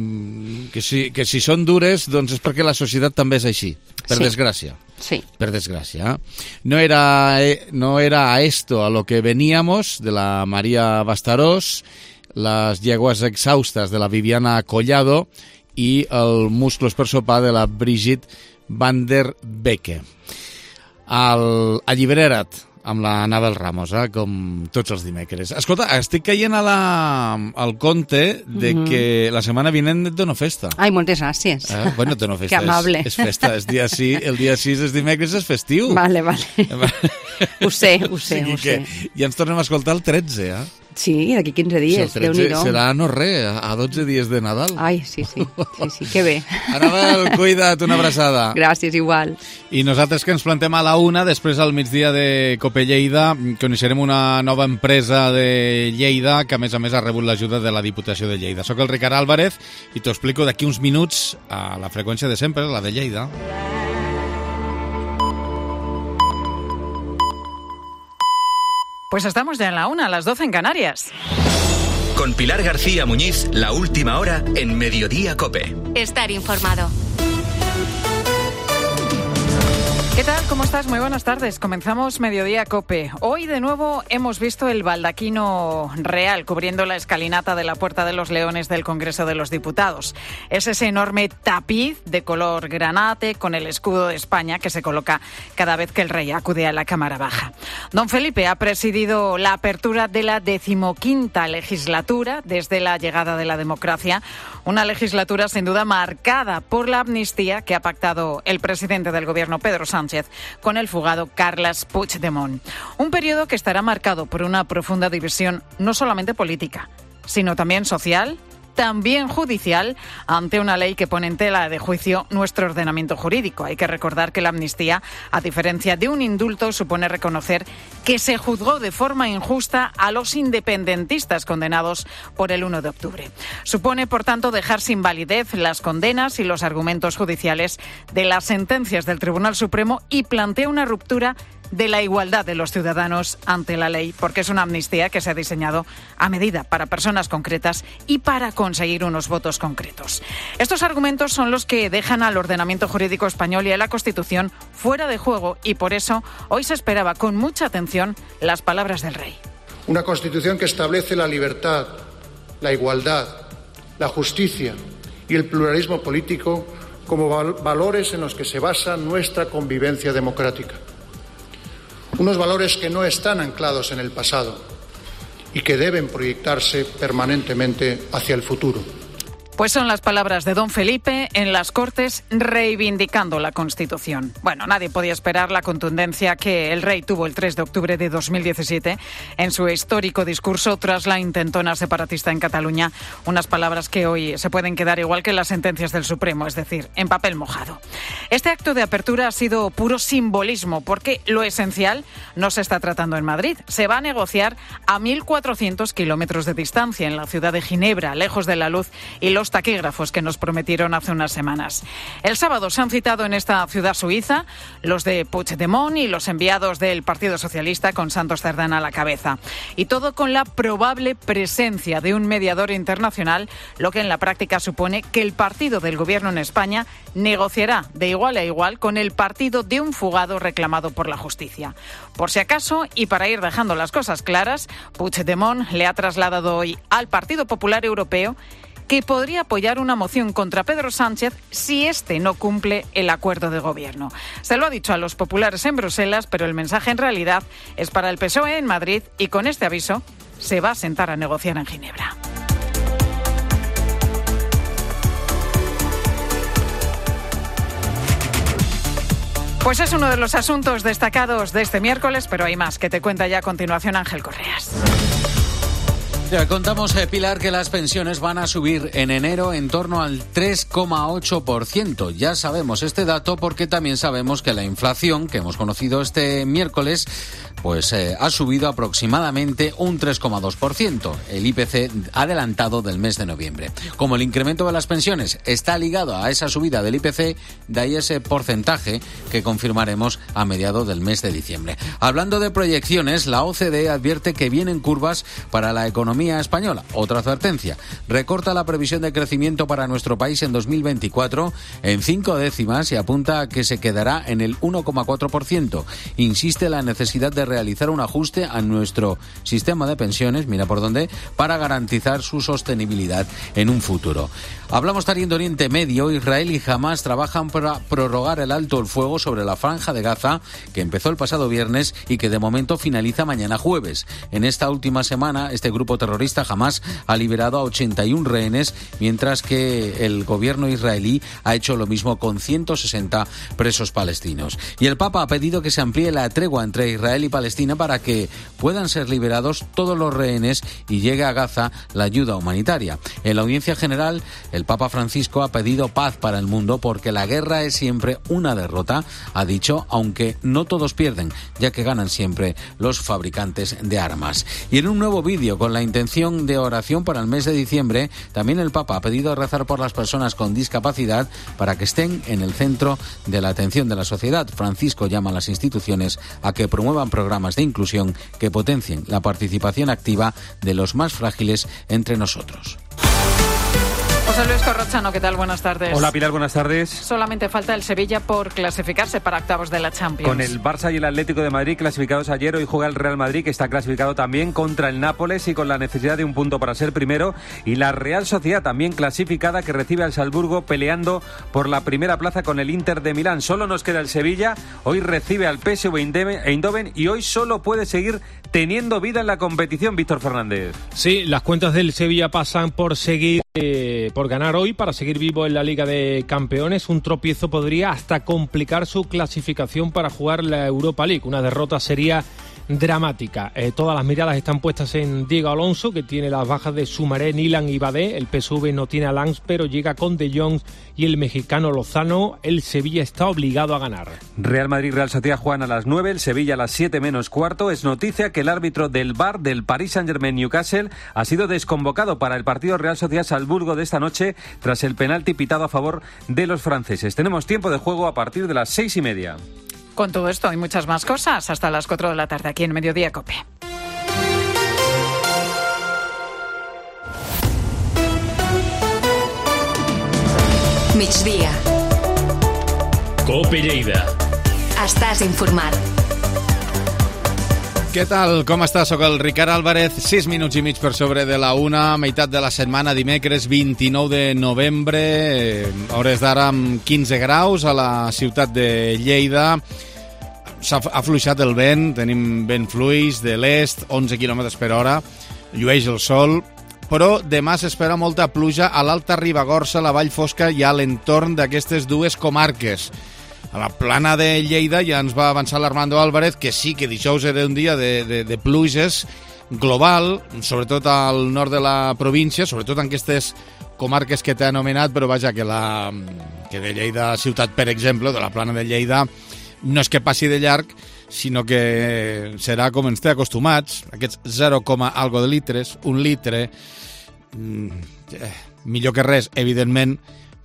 si són dures, doncs és perquè la societat també és així, per desgràcia. Sí. Per desgràcia. No era a esto a lo que veníamos, de la María Bastarós, las yeguas exhaustas de la Viviana Collado i el Musclos per sopar de la Brigitte van der Becke. Allibera't, amb la Anabel Ramos, com tots els dimecres. Escolta, estic caient al compte de que la setmana vinent et dono festa. Ai, moltes gràcies. Bueno, et dono festa. Que amable. És festa, el dia 6 és dimecres, és festiu. Vale. Ho sé. Ja ens tornem a escoltar el 13, Sí, d'aquí 15 dies, Déu-n'hi-do. Serà no res, a 12 dies de Nadal. Ai, sí, que bé. Anabel, cuida't, una abraçada. Gràcies, igual. I nosaltres que ens plantem a la 1, després al migdia de Cope Lleida, coneixerem una nova empresa de Lleida que a més ha rebut l'ajuda de la Diputació de Lleida. Soc el Ricard Álvarez i t'ho explico d'aquí uns minuts a la freqüència de sempre, la de Lleida. Pues estamos ya en la 1, a las 12 en Canarias. Con Pilar García Muñiz, la última hora en Mediodía COPE. Estar informado. ¿Qué tal? ¿Cómo estás? Muy buenas tardes. Comenzamos Mediodía COPE. Hoy de nuevo hemos visto el baldaquino real cubriendo la escalinata de la Puerta de los Leones del Congreso de los Diputados. Es ese enorme tapiz de color granate con el escudo de España que se coloca cada vez que el rey acude a la Cámara Baja. Don Felipe ha presidido la apertura de la 15ª legislatura desde la llegada de la democracia. Una legislatura sin duda marcada por la amnistía que ha pactado el presidente del gobierno, Pedro Sánchez, con el fugado Carles Puigdemont. Un periodo que estará marcado por una profunda división no solamente política, sino también social, también judicial, ante una ley que pone en tela de juicio nuestro ordenamiento jurídico. Hay que recordar que la amnistía, a diferencia de un indulto, supone reconocer que se juzgó de forma injusta a los independentistas condenados por el 1 de octubre. Supone, por tanto, dejar sin validez las condenas y los argumentos judiciales de las sentencias del Tribunal Supremo y plantea una ruptura de la igualdad de los ciudadanos ante la ley, porque es una amnistía que se ha diseñado a medida para personas concretas y para conseguir unos votos concretos. Estos argumentos son los que dejan al ordenamiento jurídico español y a la Constitución fuera de juego y por eso hoy se esperaba con mucha atención las palabras del rey. Una Constitución que establece la libertad, la igualdad, la justicia y el pluralismo político como valores en los que se basa nuestra convivencia democrática. Unos valores que no están anclados en el pasado y que deben proyectarse permanentemente hacia el futuro. Pues son las palabras de don Felipe en las Cortes reivindicando la Constitución. Bueno, nadie podía esperar la contundencia que el rey tuvo el 3 de octubre de 2017 en su histórico discurso tras la intentona separatista en Cataluña. Unas palabras que hoy se pueden quedar igual que las sentencias del Supremo, es decir, en papel mojado. Este acto de apertura ha sido puro simbolismo porque lo esencial no se está tratando en Madrid. Se va a negociar a 1.400 kilómetros de distancia en la ciudad de Ginebra, lejos de la luz y los taquígrafos que nos prometieron hace unas semanas. El sábado se han citado en esta ciudad suiza los de Puigdemont y los enviados del Partido Socialista con Santos Cerdán a la cabeza. Y todo con la probable presencia de un mediador internacional, lo que en la práctica supone que el partido del gobierno en España negociará de igual a igual con el partido de un fugado reclamado por la justicia. Por si acaso, y para ir dejando las cosas claras, Puigdemont le ha trasladado hoy al Partido Popular Europeo que podría apoyar una moción contra Pedro Sánchez si éste no cumple el acuerdo de gobierno. Se lo ha dicho a los populares en Bruselas, pero el mensaje en realidad es para el PSOE en Madrid y con este aviso se va a sentar a negociar en Ginebra. Pues es uno de los asuntos destacados de este miércoles, pero hay más que te cuenta ya a continuación Ángel Correas. Ya contamos, Pilar, que las pensiones van a subir en enero en torno al 3,8%. Ya sabemos este dato porque también sabemos que la inflación que hemos conocido este miércoles pues ha subido aproximadamente un 3,2%, el IPC adelantado del mes de noviembre. Como el incremento de las pensiones está ligado a esa subida del IPC, de ahí ese porcentaje que confirmaremos a mediados del mes de diciembre. Hablando de proyecciones, la OCDE advierte que vienen curvas para la economía economía española. Otra advertencia. Recorta la previsión de crecimiento para nuestro país en 2024 en 5 décimas y apunta a que se quedará en el 1,4%. Insiste en la necesidad de realizar un ajuste a nuestro sistema de pensiones, mira por dónde, para garantizar su sostenibilidad en un futuro. Hablamos también de Oriente Medio. Israel y Hamas trabajan para prorrogar el alto el fuego sobre la franja de Gaza, que empezó el pasado viernes y que de momento finaliza mañana jueves. En esta última semana, este grupo terrorista Hamas ha liberado a 81 rehenes, mientras que el gobierno israelí ha hecho lo mismo con 160 presos palestinos. Y el Papa ha pedido que se amplíe la tregua entre Israel y Palestina para que puedan ser liberados todos los rehenes y llegue a Gaza la ayuda humanitaria. En la audiencia general, el Papa Francisco ha pedido paz para el mundo porque la guerra es siempre una derrota, ha dicho, aunque no todos pierden, ya que ganan siempre los fabricantes de armas. Y en un nuevo vídeo con la intención de oración para el mes de diciembre, también el Papa ha pedido rezar por las personas con discapacidad para que estén en el centro de la atención de la sociedad. Francisco llama a las instituciones a que promuevan programas de inclusión que potencien la participación activa de los más frágiles entre nosotros. José Luis Corrochano, ¿qué tal? Buenas tardes. Hola Pilar, buenas tardes. Solamente falta el Sevilla por clasificarse para octavos de la Champions. Con el Barça y el Atlético de Madrid clasificados ayer, hoy juega el Real Madrid, que está clasificado también, contra el Nápoles y con la necesidad de un punto para ser primero. Y la Real Sociedad también clasificada, que recibe al Salzburgo peleando por la primera plaza con el Inter de Milán. Solo nos queda el Sevilla, hoy recibe al PSV Eindhoven y hoy solo puede seguir teniendo vida en la competición, Víctor Fernández. Sí, las cuentas del Sevilla pasan por seguir, por ganar hoy para seguir vivo en la Liga de Campeones. Un tropiezo podría hasta complicar su clasificación para jugar la Europa League. Una derrota sería dramática. Todas las miradas están puestas en Diego Alonso, que tiene las bajas de Soumaré, Nilan y Badé. El PSV no tiene a Lanz, pero llega con De Jong y el mexicano Lozano. El Sevilla está obligado a ganar. Real Madrid, Real Sociedad juegan a las 9, el Sevilla a las 7 menos cuarto. Es noticia que el árbitro del VAR del Paris Saint-Germain Newcastle ha sido desconvocado para el partido Real Sociedad-Salzburgo de esta noche tras el penalti pitado a favor de los franceses. Tenemos tiempo de juego a partir de las 6:30. Con todo esto y muchas más cosas, hasta las 4 de la tarde aquí en Mediodía COPE. Migdia. COPE Lleida. Estàs informat. Què tal? Com estàs? Soc el Ricard Álvarez, 6 minuts i mig per sobre de la 1, meitat de la setmana, dimecres 29 de novembre, hores d'ara amb 15 graus a la ciutat de Lleida. S'ha afluixat el vent, tenim vent fluix de l'est, 11 km per hora, llueix el sol, però demà s'espera molta pluja a l'Alta Ribagorça, la Vall Fosca i a l'entorn d'aquestes dues comarques. A la plana de Lleida ja ens va avançar l'Armando Álvarez que sí, que dijous era un dia de pluges global, sobretot al nord de la província, sobretot en aquestes comarques que t'he anomenat, però vaja, que de Lleida ciutat, per exemple, de la plana de Lleida, no és que passi de llarg, sinó que serà com ens té acostumats, aquests 0, algo de litres, 1 litre, millor que res, evidentment,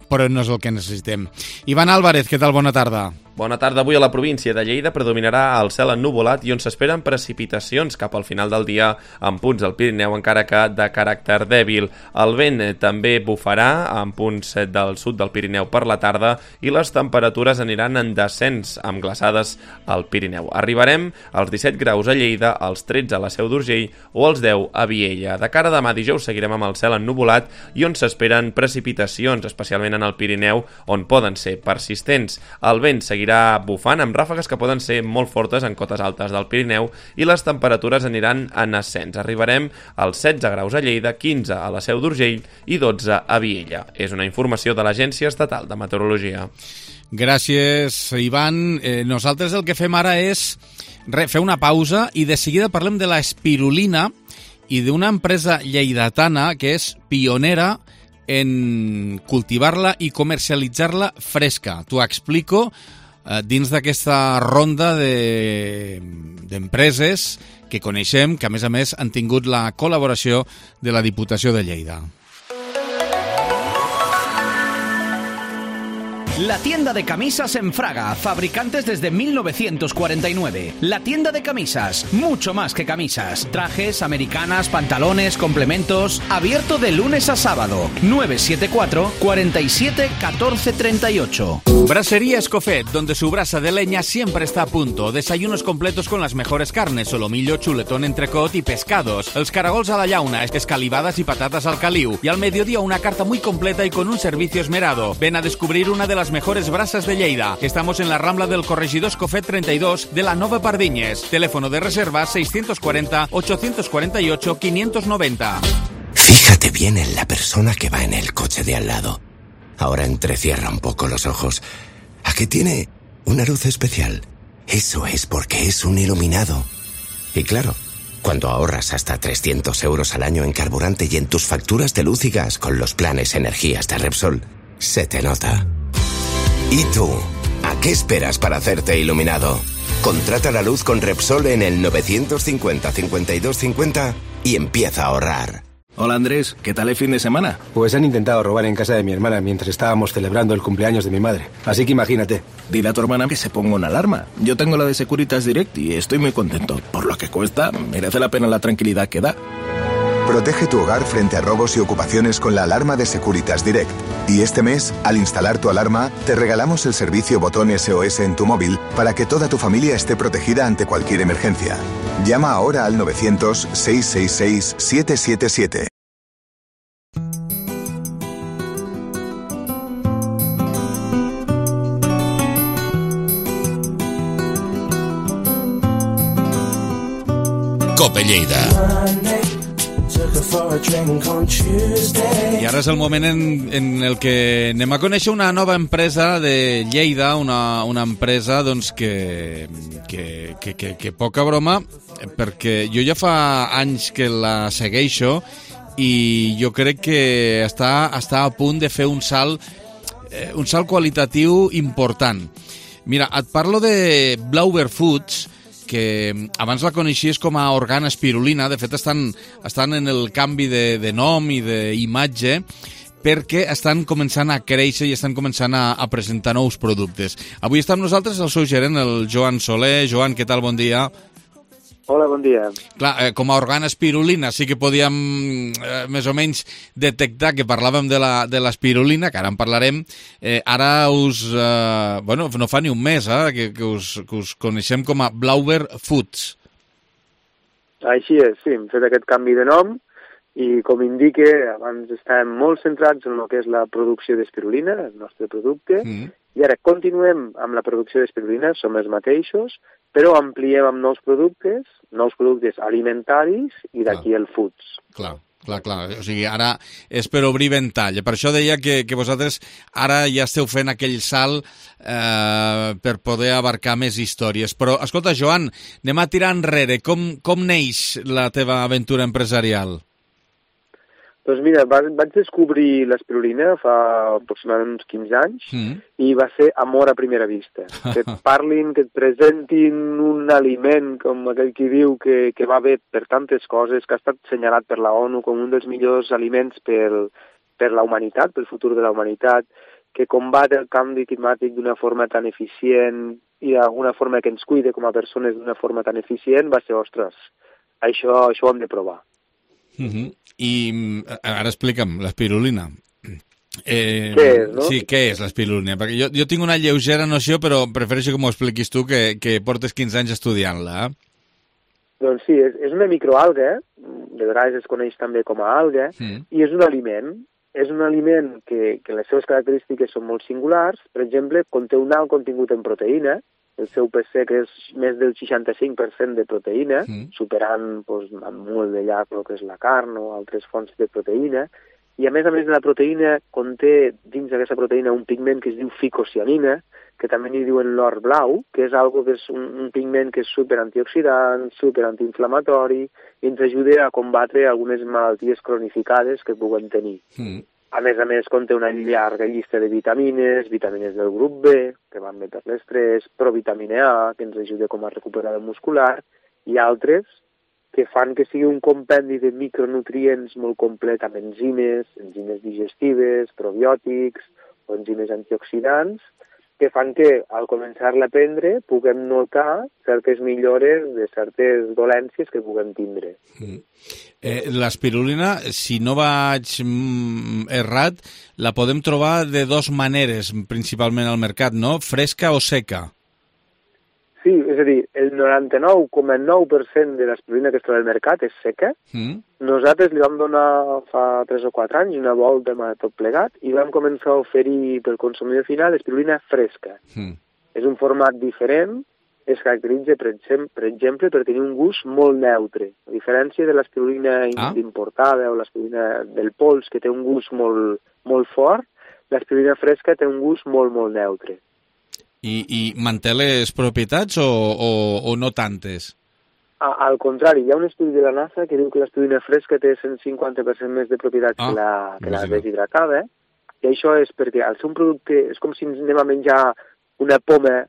però no és el que necessitem. Ivan Álvarez, què tal? Bona tarda. Bona tarda. Avui a la província de Lleida predominarà el cel ennuvolat i on s'esperen precipitacions cap al final del dia en punts del Pirineu, encara que de caràcter dèbil. El vent també bufarà en punts del sud del Pirineu per la tarda i les temperatures aniran en descens amb glaçades al Pirineu. Arribarem als 17 graus a Lleida, als 13 a la Seu d'Urgell o als 10 a Viella. De cara a demà dijous seguirem amb el cel ennuvolat i on s'esperen precipitacions, especialment en el Pirineu, on poden ser persistents. El vent seguirà bufant amb ràfegues que poden ser molt fortes en cotes altes del Pirineu i les temperatures aniran en ascens. Arribarem als 16 graus a Lleida, 15 a la Seu d'Urgell i 12 a Viella. És una informació de l'Agència Estatal de Meteorologia. Gràcies, Ivan. Nosaltres el que fem ara és fer una pausa i de seguida parlem de la espirulina i d'una empresa lleidatana que és pionera en cultivar-la i comercialitzar-la fresca. T'ho explico dins d'aquesta ronda d'empreses que coneixem, que a més han tingut la col·laboració de la Diputació de Lleida. La tienda de camisas en Fraga, fabricantes desde 1949. La tienda de camisas, mucho más que camisas. Trajes, americanas, pantalones, complementos. Abierto de lunes a sábado. 974 47 14 38. Brasería Escofet, donde su brasa de leña siempre está a punto. Desayunos completos con las mejores carnes, solomillo, chuletón, entrecot y pescados. Els caragols a la llauna, escalivadas y patatas al caliu. Y al mediodía una carta muy completa y con un servicio esmerado. Ven a descubrir una de las mejores brasas de Lleida. Estamos en la Rambla del Corregidor Escofet 32 de la Nova Pardiñes. Teléfono de reserva 640 848 590. Fíjate bien en la persona que va en el coche de al lado. Ahora entrecierra un poco los ojos. ¿A qué tiene una luz especial? Eso es porque es un iluminado. Y claro, cuando ahorras hasta 300 euros al año en carburante y en tus facturas de luz y gas con los planes energías de Repsol, se te nota. ¿Y tú? ¿A qué esperas para hacerte iluminado? Contrata la luz con Repsol en el 950 52 50 y empieza a ahorrar. Hola Andrés, ¿qué tal el fin de semana? Pues han intentado robar en casa de mi hermana mientras estábamos celebrando el cumpleaños de mi madre. Así que imagínate. Dile a tu hermana que se ponga una alarma. Yo tengo la de Securitas Direct y estoy muy contento. Por lo que cuesta, merece la pena la tranquilidad que da. Protege tu hogar frente a robos y ocupaciones con la alarma de Securitas Direct. Y este mes, al instalar tu alarma, te regalamos el servicio botón SOS en tu móvil para que toda tu familia esté protegida ante cualquier emergencia. Llama ahora al 900-666-777. Cope Lleida. I ara és el moment en el que anem a conèixer una nova empresa de Lleida, una empresa doncs, que poca broma, perquè jo ja fa anys que la segueixo i jo crec que està a punt de fer un salt qualitatiu important. Mira, et parlo de Blauber Foods, que abans la coneixies com a Organa Espirulina. De fet, estan en el canvi de nom i d'imatge perquè estan començant a créixer i estan començant a presentar nous productes. Avui està amb nosaltres el seu gerent, el Joan Soler. Joan, què tal? Bon dia. Hola, bon dia. Clar, com a Organa Espirulina sí que podíem més o menys detectar que parlàvem de l'espirulina, que ara en parlarem. Ara no fa ni un mes que us coneixem com a Blauber Foods. Així és, sí, hem fet aquest canvi de nom i, com indica, abans estàvem molt centrats en el que és la producció d'espirulina, el nostre producte, i ara continuem amb la producció d'espirulina, som els mateixos, però ampliem amb nous productes alimentaris i d'aquí el foods. Clar. O sigui, ara és per obrir ventall. Per això deia que vosaltres ara ja esteu fent aquell salt per poder abarcar més històries. Però, escolta, Joan, anem a tirar enrere. Com neix la teva aventura empresarial? Doncs mira, vaig descobrir l'espirulina fa aproximadament uns 15 anys i va ser amor a primera vista. Que et parlin, que et presentin un aliment, com aquell qui diu, que va bé per tantes coses, que ha estat assenyalat per la ONU com un dels millors aliments per la humanitat, pel futur de la humanitat, que combat el canvi climàtic d'una forma tan eficient i d'alguna forma que ens cuide com a persones d'una forma tan eficient, va ser, ostres, això ho hem de provar. I ara explica'm, l'espirulina. Què és, no? Sí, què és l'espirulina? Perquè jo tinc una lleugera noció, però prefereixo que m'ho expliquis tu, que portes 15 anys estudiant-la. Doncs sí, és una microalga, de vegades es coneix també com a alga, i és un aliment. És un aliment que les seves característiques són molt singulars. Per exemple, conté un alt contingut en proteïna. El seu pes sec és més del 65% de proteïna, superant amb molt de llac el que és la carn o altres fonts de proteïna. I a més de la proteïna, conté dins d'aquesta proteïna un pigment que es diu ficocianina, que també n'hi diuen l'or blau, que és un pigment que és superantioxidant, superantiinflamatori, i ens ajuda a combatre algunes malalties cronificades que puguem tenir. A més, conté una llarga llista de vitamines del grup B, que van bé per l'estrès, provitamina A, que ens ajuda com a recuperador muscular, i altres que fan que sigui un compendi de micronutrients molt complet amb enzimes digestives, probiòtics, enzimes antioxidants, que fan que, al començar-la a prendre, puguem notar certes millores de certes dolències que puguem tindre. L'espirulina, si no vaig errat, la podem trobar de dues maneres, principalment al mercat, no? Fresca o seca? Sí, és a dir, el 99,9% de l'espirulina que es troba al mercat és seca. Nosaltres li vam donar fa 3 o 4 anys una volta amb tot plegat i vam començar a oferir pel consumidor final espirulina fresca. És un format diferent, es caracteritza, per exemple, per tenir un gust molt neutre. A diferència de l'espirulina importada o l'espirulina del pols, que té un gust molt fort, l'espirulina fresca té un gust molt neutre. I manté les propietats o no tantes? Al contrari, hi ha un estudi de la NASA que diu que l'espirulina fresca té 150% més de propietats que la deshidratada, i això és perquè al ser un producte és com si anem a menjar una poma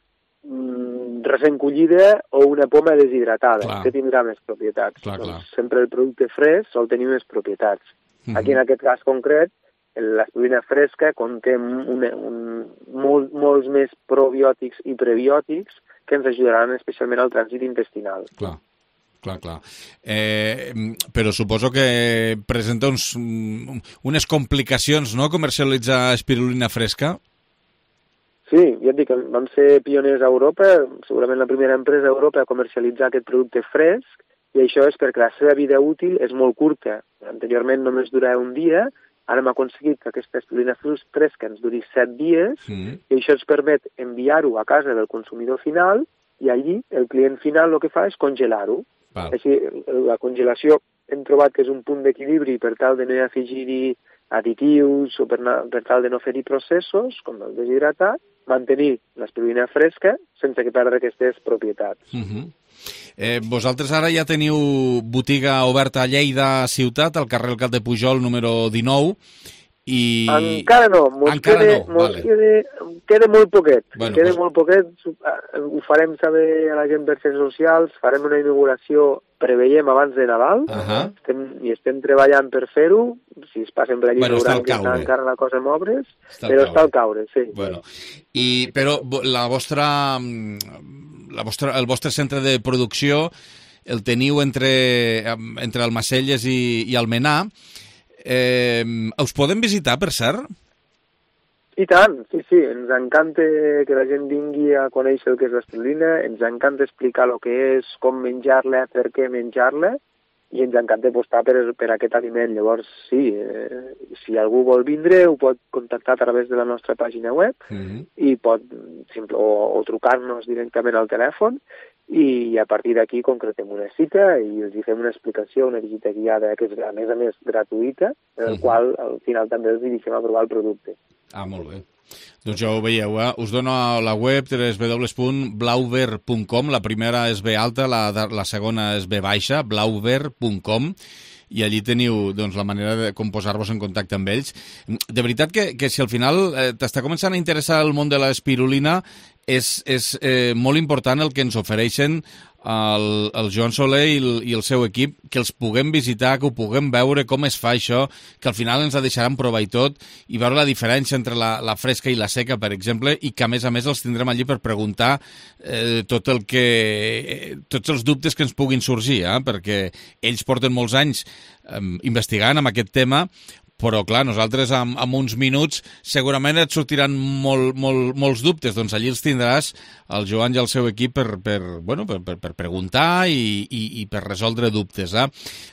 recent collida o una poma deshidratada, que tindrà més propietats. Doncs sempre el producte fresc sol tenir més propietats. Aquí en aquest cas concret, l'espirulina fresca conté molts més probiòtics i prebiòtics que ens ajudaran especialment al trànsit intestinal. Clar. Però suposo que presenta unes complicacions, no?, comercialitzar espirulina fresca? Sí, ja et dic, vam ser pioners a Europa, segurament la primera empresa a Europa a comercialitzar aquest producte fresc, i això és perquè la seva vida útil és molt curta. Anteriorment només durava un dia. Ara hem aconseguit que aquesta espirulina fresca ens duri 7 dies i això ens permet enviar-ho a casa del consumidor final i allí el client final el que fa és congelar-ho. Així, la congelació hem trobat que és un punt d'equilibri per tal de no afegir-hi additius o per tal de no fer-hi processos, com el deshidratat, mantenir l'espirulina fresca sense que perdre aquestes propietats. Vosaltres ara ja teniu botiga oberta a Lleida ciutat, al carrer Alcat de Pujol, número 19, i... Encara no, queda molt poquet. Molt poquet, ho farem saber a la gent per xarxes socials, farem una inauguració, preveiem abans de Nadal, i estem treballant per fer-ho, si es passen per allí veuran que està encara la cosa en obres, però està al caure, sí. Però el vostre centre de producció el teniu entre Almacelles i Almenar. Us podem visitar, per cert? I tant, sí, ens encanta que la gent vingui a conèixer el que és l'espirulina, ens encanta explicar el que és, com menjar-la, per què menjar-la, i ens encanta apostar per aquest aliment. Llavors, sí, si algú vol vindre, ho pot contactar a través de la nostra pàgina web i pot o trucar-nos directament al telèfon i a partir d'aquí concretem una cita i els fem una explicació, una visita guiada, que és a més gratuïta, en el qual al final també els dirigim a provar el producte. Molt bé. Doncs ja ho veieu, us dono a la web www.blauver.com, la primera és B alta, la segona és B baixa, blauver.com, i allí teniu la manera de com posar-vos en contacte amb ells. De veritat que si al final t'està començant a interessar el món de l'espirulina, és molt important el que ens ofereixen el Joan Soler i el seu equip, que els puguem visitar, que ho puguem veure com es fa això, que al final ens la deixaran provar i tot, i veure la diferència entre la fresca i la seca, per exemple, i que a més els tindrem allí per preguntar tots els dubtes que ens puguin sorgir, perquè ells porten molts anys investigant amb aquest tema, però clar, nosaltres en uns minuts segurament et sortiran molts dubtes, doncs allí els tindràs el Joan i el seu equip per preguntar i per resoldre dubtes.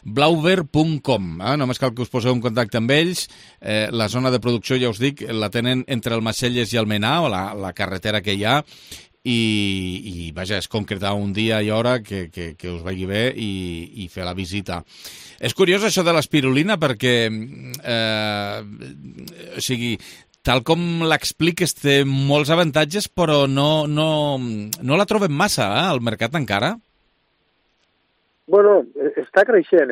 Blauver.com, només cal que us poseu en contacte amb ells. La zona de producció, ja us dic, la tenen entre Almacelles i Almenar, o la carretera que hi ha, i vaja, és concretar un dia i hora que us vagi bé i fer la visita. És curiós això de l'espirulina perquè, tal com l'expliques, té molts avantatges, però no la trobem massa al mercat encara. Bueno, està creixent,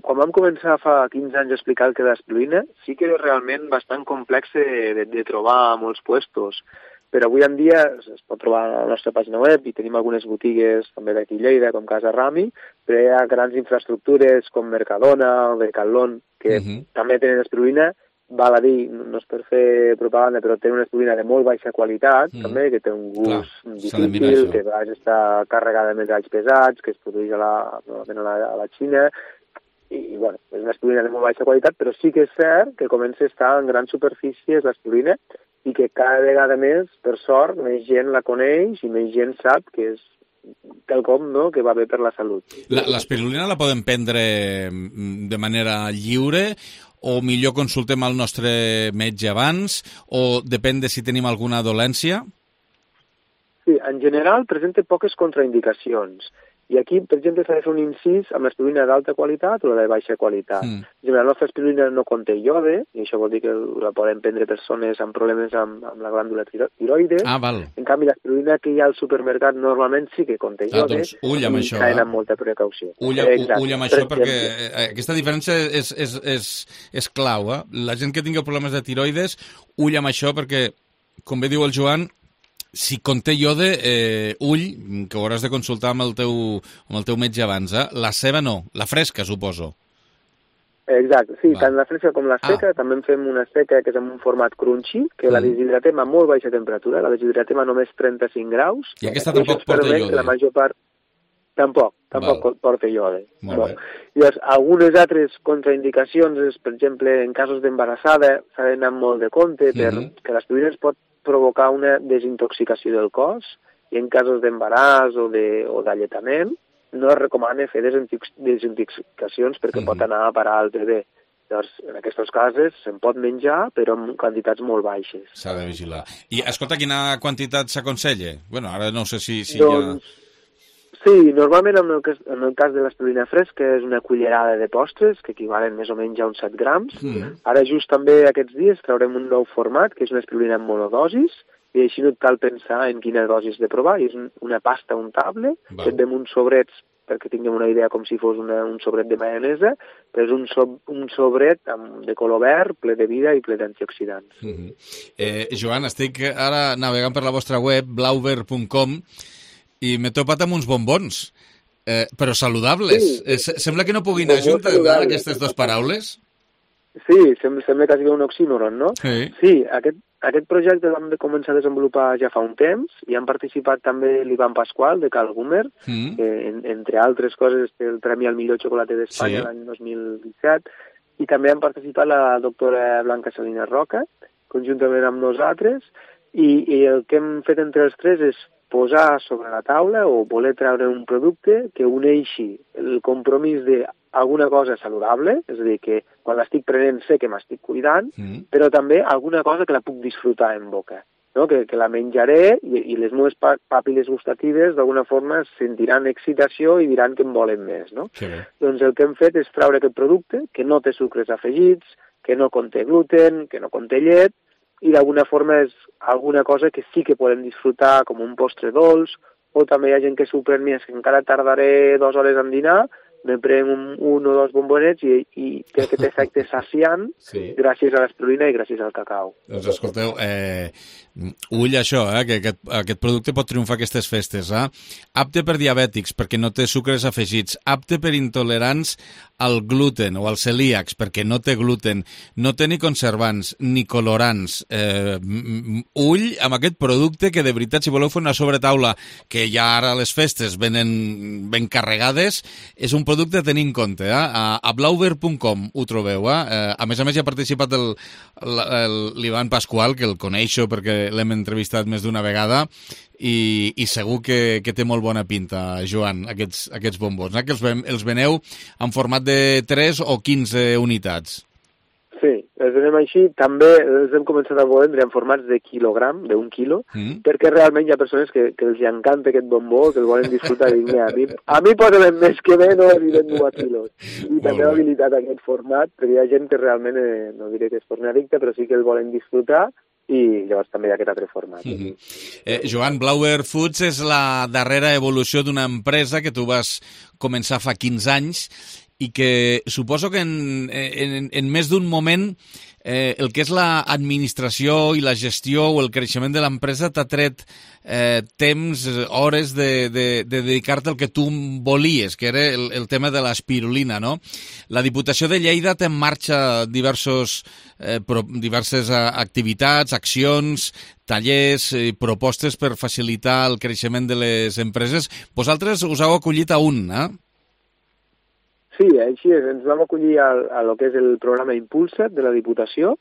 Quan vam començar fa 15 anys a explicar el que és l'espirulina, sí que és realment bastant complex de trobar a molts puestos. Però avui en dia es pot trobar a la nostra pàgina web i tenim algunes botigues també d'aquí Lleida, com Casa Rami, però hi ha grans infraestructures com Mercadona o Decathlon, que també tenen espirulina val a dir, no és per fer propaganda, però té una espirulina de molt baixa qualitat, també, que té un gust difícil, que a vegades està carregada de metalls pesats, que es produeix a la Xina, i bueno, és una espirulina de molt baixa qualitat, però sí que és cert que comença a estar en grans superfícies l'espirulina i que cada vegada més, per sort, més gent la coneix i més gent sap que és quelcom, no?, que va bé per la salut. L'espirulina la podem prendre de manera lliure o millor consultem al nostre metge abans o depèn de si tenim alguna dolència? Sí, en general presenta poques contraindicacions. I aquí, per exemple, s'ha de fer un incís amb l'espirulina d'alta qualitat o la de baixa qualitat. La nostra espirulina no conté iode, i això vol dir que la poden prendre persones amb problemes amb la glàndula tiroides. Val. En canvi, l'espirulina que hi ha al supermercat normalment sí que conté iode, doncs ull amb això, i amb molta precaució. Ull amb això, perquè aquesta diferència és clau. La gent que tingui problemes de tiroides, ull amb això, perquè, com bé diu el Joan, si conté iode, ull, que ho hauràs de consultar amb el teu metge abans. La ceba no, la fresca, suposo. Exacte, sí, tant la fresca com la seca. També en fem una seca que és en un format crunchy, que la deshidratem a molt baixa temperatura, la deshidratem a només 35 graus. I aquesta tampoc porta iode? La major part... Tampoc porta iode. Llavors, algunes altres contraindicacions és, per exemple, en casos d'embarassada, s'ha d'anar molt de compte perquè l'espirulina es pot provocar una desintoxicació del cos i en casos d'embaràs o d'alletament no es recomana fer desintoxicacions perquè pot anar a parar al bebè. Llavors, en aquests casos se'n pot menjar però en quantitats molt baixes. S'ha de vigilar. I escolta, quina quantitat s'aconsella? Bueno, ara no sé si doncs, ja... Sí, normalment en el cas de l'espirulina fresca és una cullerada de postres, que equivalen més o menys a uns 7 grams. Ara just també aquests dies traurem un nou format, que és una espirulina en monodosis, i així no et cal pensar en quina dosis de provar. És una pasta untable, que et dem uns sobrets, perquè tinguem una idea com si fos un sobret de maionesa, però és un sobret de color verd, ple de vida i ple d'antioxidants. Joan, estic ara navegant per la vostra web, blauber.com, i m'he topat amb uns bombons, però saludables. Sí. Sembla que no puguin anar juntes, aquestes dues paraules. Sí, sembla que sigui un oxímoron, no? Sí, aquest projecte l'hem de començar a desenvolupar ja fa un temps, i han participat també l'Ivan Pasqual, de Cal Gumer, que, entre altres coses, té el Premi al millor xocolater d'Espanya l'any 2017, i també han participat la doctora Blanca Salinas Roca, conjuntament amb nosaltres, i el que hem fet entre els tres és posar sobre la taula o voler treure un producte que uneixi el compromís d'alguna cosa saludable, és a dir, que quan l'estic prenent sé que m'estic cuidant, però també alguna cosa que la puc disfrutar en boca, no? Que la menjaré i les meves pàpiles gustatives d'alguna forma sentiran excitació i diran que en volen més, no? Doncs el que hem fet és treure aquest producte que no té sucres afegits, que no conté gluten, que no conté llet, i d'alguna forma és alguna cosa que sí que podem disfrutar com un postre dolç, o també hi ha gent que s'ho pren més, que encara tardaré 2 hores en dinar, me prenc un o 2 bombonets i té aquest efecte saciant gràcies a l'espirulina i gràcies al cacau. Doncs escolteu, ull això, que aquest producte pot triomfar aquestes festes. Apte per diabètics, perquè no té sucres afegits. Apte per intolerants al gluten o als celíacs, perquè no té gluten. No té ni conservants, ni colorants. Ull amb aquest producte que, de veritat, si voleu fer una sobretaula, que ja ara a les festes venen ben carregades, és un producte a tenir en compte. A blauber.com ho trobeu. A més hi ha participat l'Ivan Pasqual, que el coneixo perquè l'hem entrevistat més d'una vegada, i segur que té molt bona pinta, Joan, aquests bombons, que els veneu en format de 3 o 15 unitats. Sí, els venem així. També els hem començat a vendre en formats de quilogram, d'1 quilo, perquè realment hi ha persones que els encanta aquest bombó, que el volen disfrutar. I a mi posa'm més que menys i vendo a quilos. I també ha habilitat aquest format, perquè hi ha gent que realment, no diré que es torni addicte, però sí que el volen disfrutar, i llavors també hi ha aquest altre format. Joan, Blauber Foods és la darrera evolució d'una empresa que tu vas començar fa 15 anys i que suposo que en més d'un moment el que és l'administració i la gestió o el creixement de l'empresa t'ha tret temps, hores de dedicar-te al que tu volies, que era el tema de l'espirulina, no? La Diputació de Lleida té en marxa diverses activitats, accions, tallers i propostes per facilitar el creixement de les empreses. Vosaltres us heu acollit a un, eh? Sí, així és. Ens vam acollir a lo que és el programa Impulsa't de la Diputació,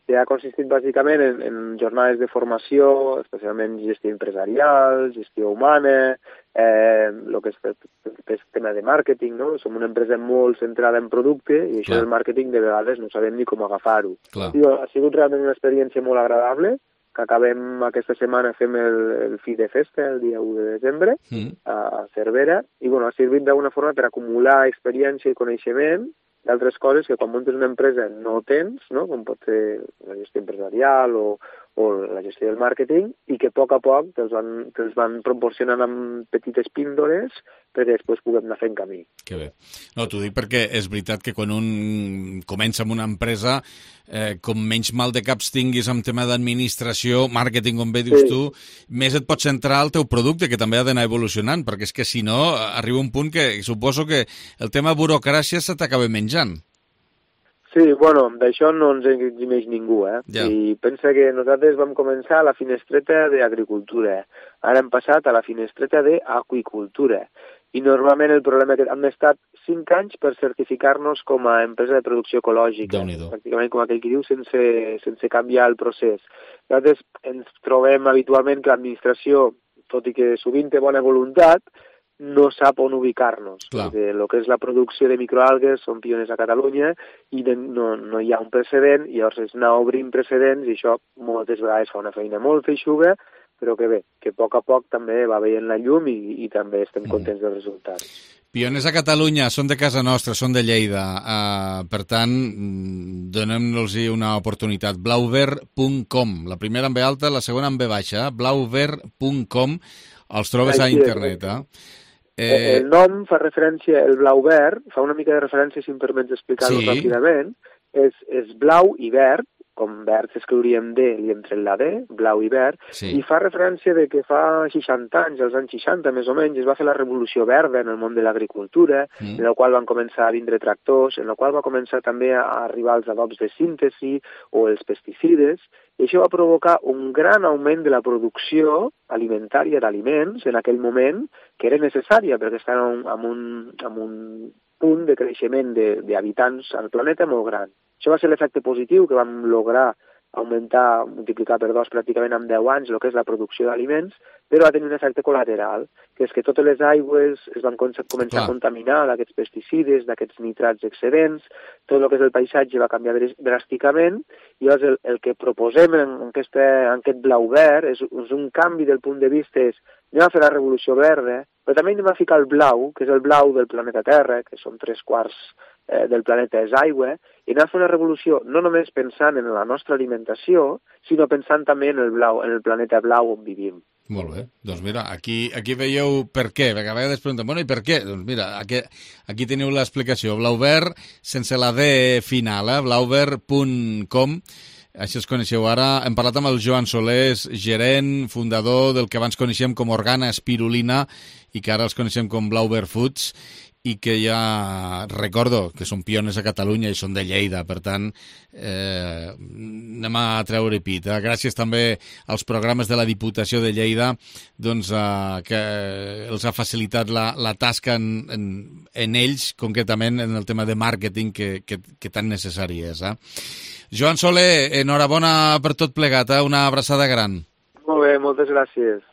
que ha consistit bàsicament en jornades de formació, especialment gestió empresarial, gestió humana, el que és tema de màrqueting, no? Som una empresa molt centrada en producte i això del màrqueting de vegades no sabem ni com agafar-ho. Ha sigut realment una experiència molt agradable, que acabem aquesta setmana, fem el fi de festa, el dia 1 de desembre, a Cervera, i ha servit d'alguna forma per acumular experiència i coneixement d'altres coses que quan muntes una empresa no tens, no? Com pot ser la gestió empresarial o la gestió del màrqueting, i que a poc te'ls van proporcionant amb petites píndoles perquè després puguem anar fent camí. Que bé. No, t'ho dic perquè és veritat que quan un comença amb una empresa, com menys mal de caps tinguis amb tema d'administració, màrqueting, com bé dius tu, més et pots centrar al teu producte, que també ha d'anar evolucionant, perquè és que si no, arriba un punt que suposo que el tema burocràcia se t'acaba menjant. Sí, bueno, d'això no ens eximeix ningú, I pensa que nosaltres vam començar a la finestreta d'agricultura, ara hem passat a la finestreta d'aqüicultura, i normalment el problema és que hem estat 5 anys per certificar-nos com a empresa de producció ecològica, pràcticament com aquell que diu, sense canviar el procés. Nosaltres ens trobem habitualment que l'administració, tot i que sovint té bona voluntat, no sap on ubicar-nos. El que és la producció de microalgues són pioners a Catalunya i no hi ha un precedent, i llavors és anar obrint precedents, i això moltes vegades fa una feina molt feixuga, però que bé, que a poc també va veient la llum i també estem contents dels resultats. Pioners a Catalunya, són de casa nostra, són de Lleida, per tant, donem-los una oportunitat. Blauver.com, la primera amb B alta, la segona amb B baixa, blauver.com, els trobes a internet, El nom fa referència, el blau verd, fa una mica de referència, si em permets explicar-ho ràpidament, és blau i verd, com verd s'escriuria amb D i entre la D, blau i verd, i fa referència de que fa 60 anys, als anys 60 més o menys, es va fer la revolució verda en el món de l'agricultura, en la qual van començar a vindre tractors, en la qual va començar també a arribar els adobs de síntesi o els pesticides, i això va provocar un gran augment de la producció alimentària d'aliments en aquell moment, que era necessària perquè estaven en un punt de creixement d'habitants al planeta molt gran. Això va ser l'efecte positiu que vam lograr augmentar, multiplicar per 2 pràcticament en 10 anys el que és la producció d'aliments, però va tenir un efecte col·lateral, que és que totes les aigües es van començar a contaminar d'aquests pesticides, d'aquests nitrats excedents, tot el que és el paisatge va canviar dràsticament, i llavors el que proposem en aquest blau verd és un canvi del punt de vista, anem a fer la revolució verda, però també anem a ficar el blau, que és el blau del planeta Terra, que són 3/4 del planeta és aigua, i anem a fer una revolució no només pensant en la nostra alimentació, sinó pensant també en el planeta blau on vivim. Molt bé. Doncs mira, aquí veieu per què, perquè a vegades pregunten, bueno, i per què? Doncs mira, aquí teniu l'explicació. Blauvert, sense la D final, blauvert.com. Això es coneixeu ara. Hem parlat amb el Joan Soler, gerent, fundador del que abans coneixem com Organa Espirulina i que ara els coneixem com Blauvert Foods, i que ja recordo que són pioners a Catalunya i són de Lleida, per tant, anem a treure pit. Gràcies també als programes de la Diputació de Lleida, doncs, que els ha facilitat la tasca en ells, concretament en el tema de màrqueting que tan necessari és. Joan Soler, enhorabona per tot plegat, una abraçada gran. Molt bé, moltes gràcies.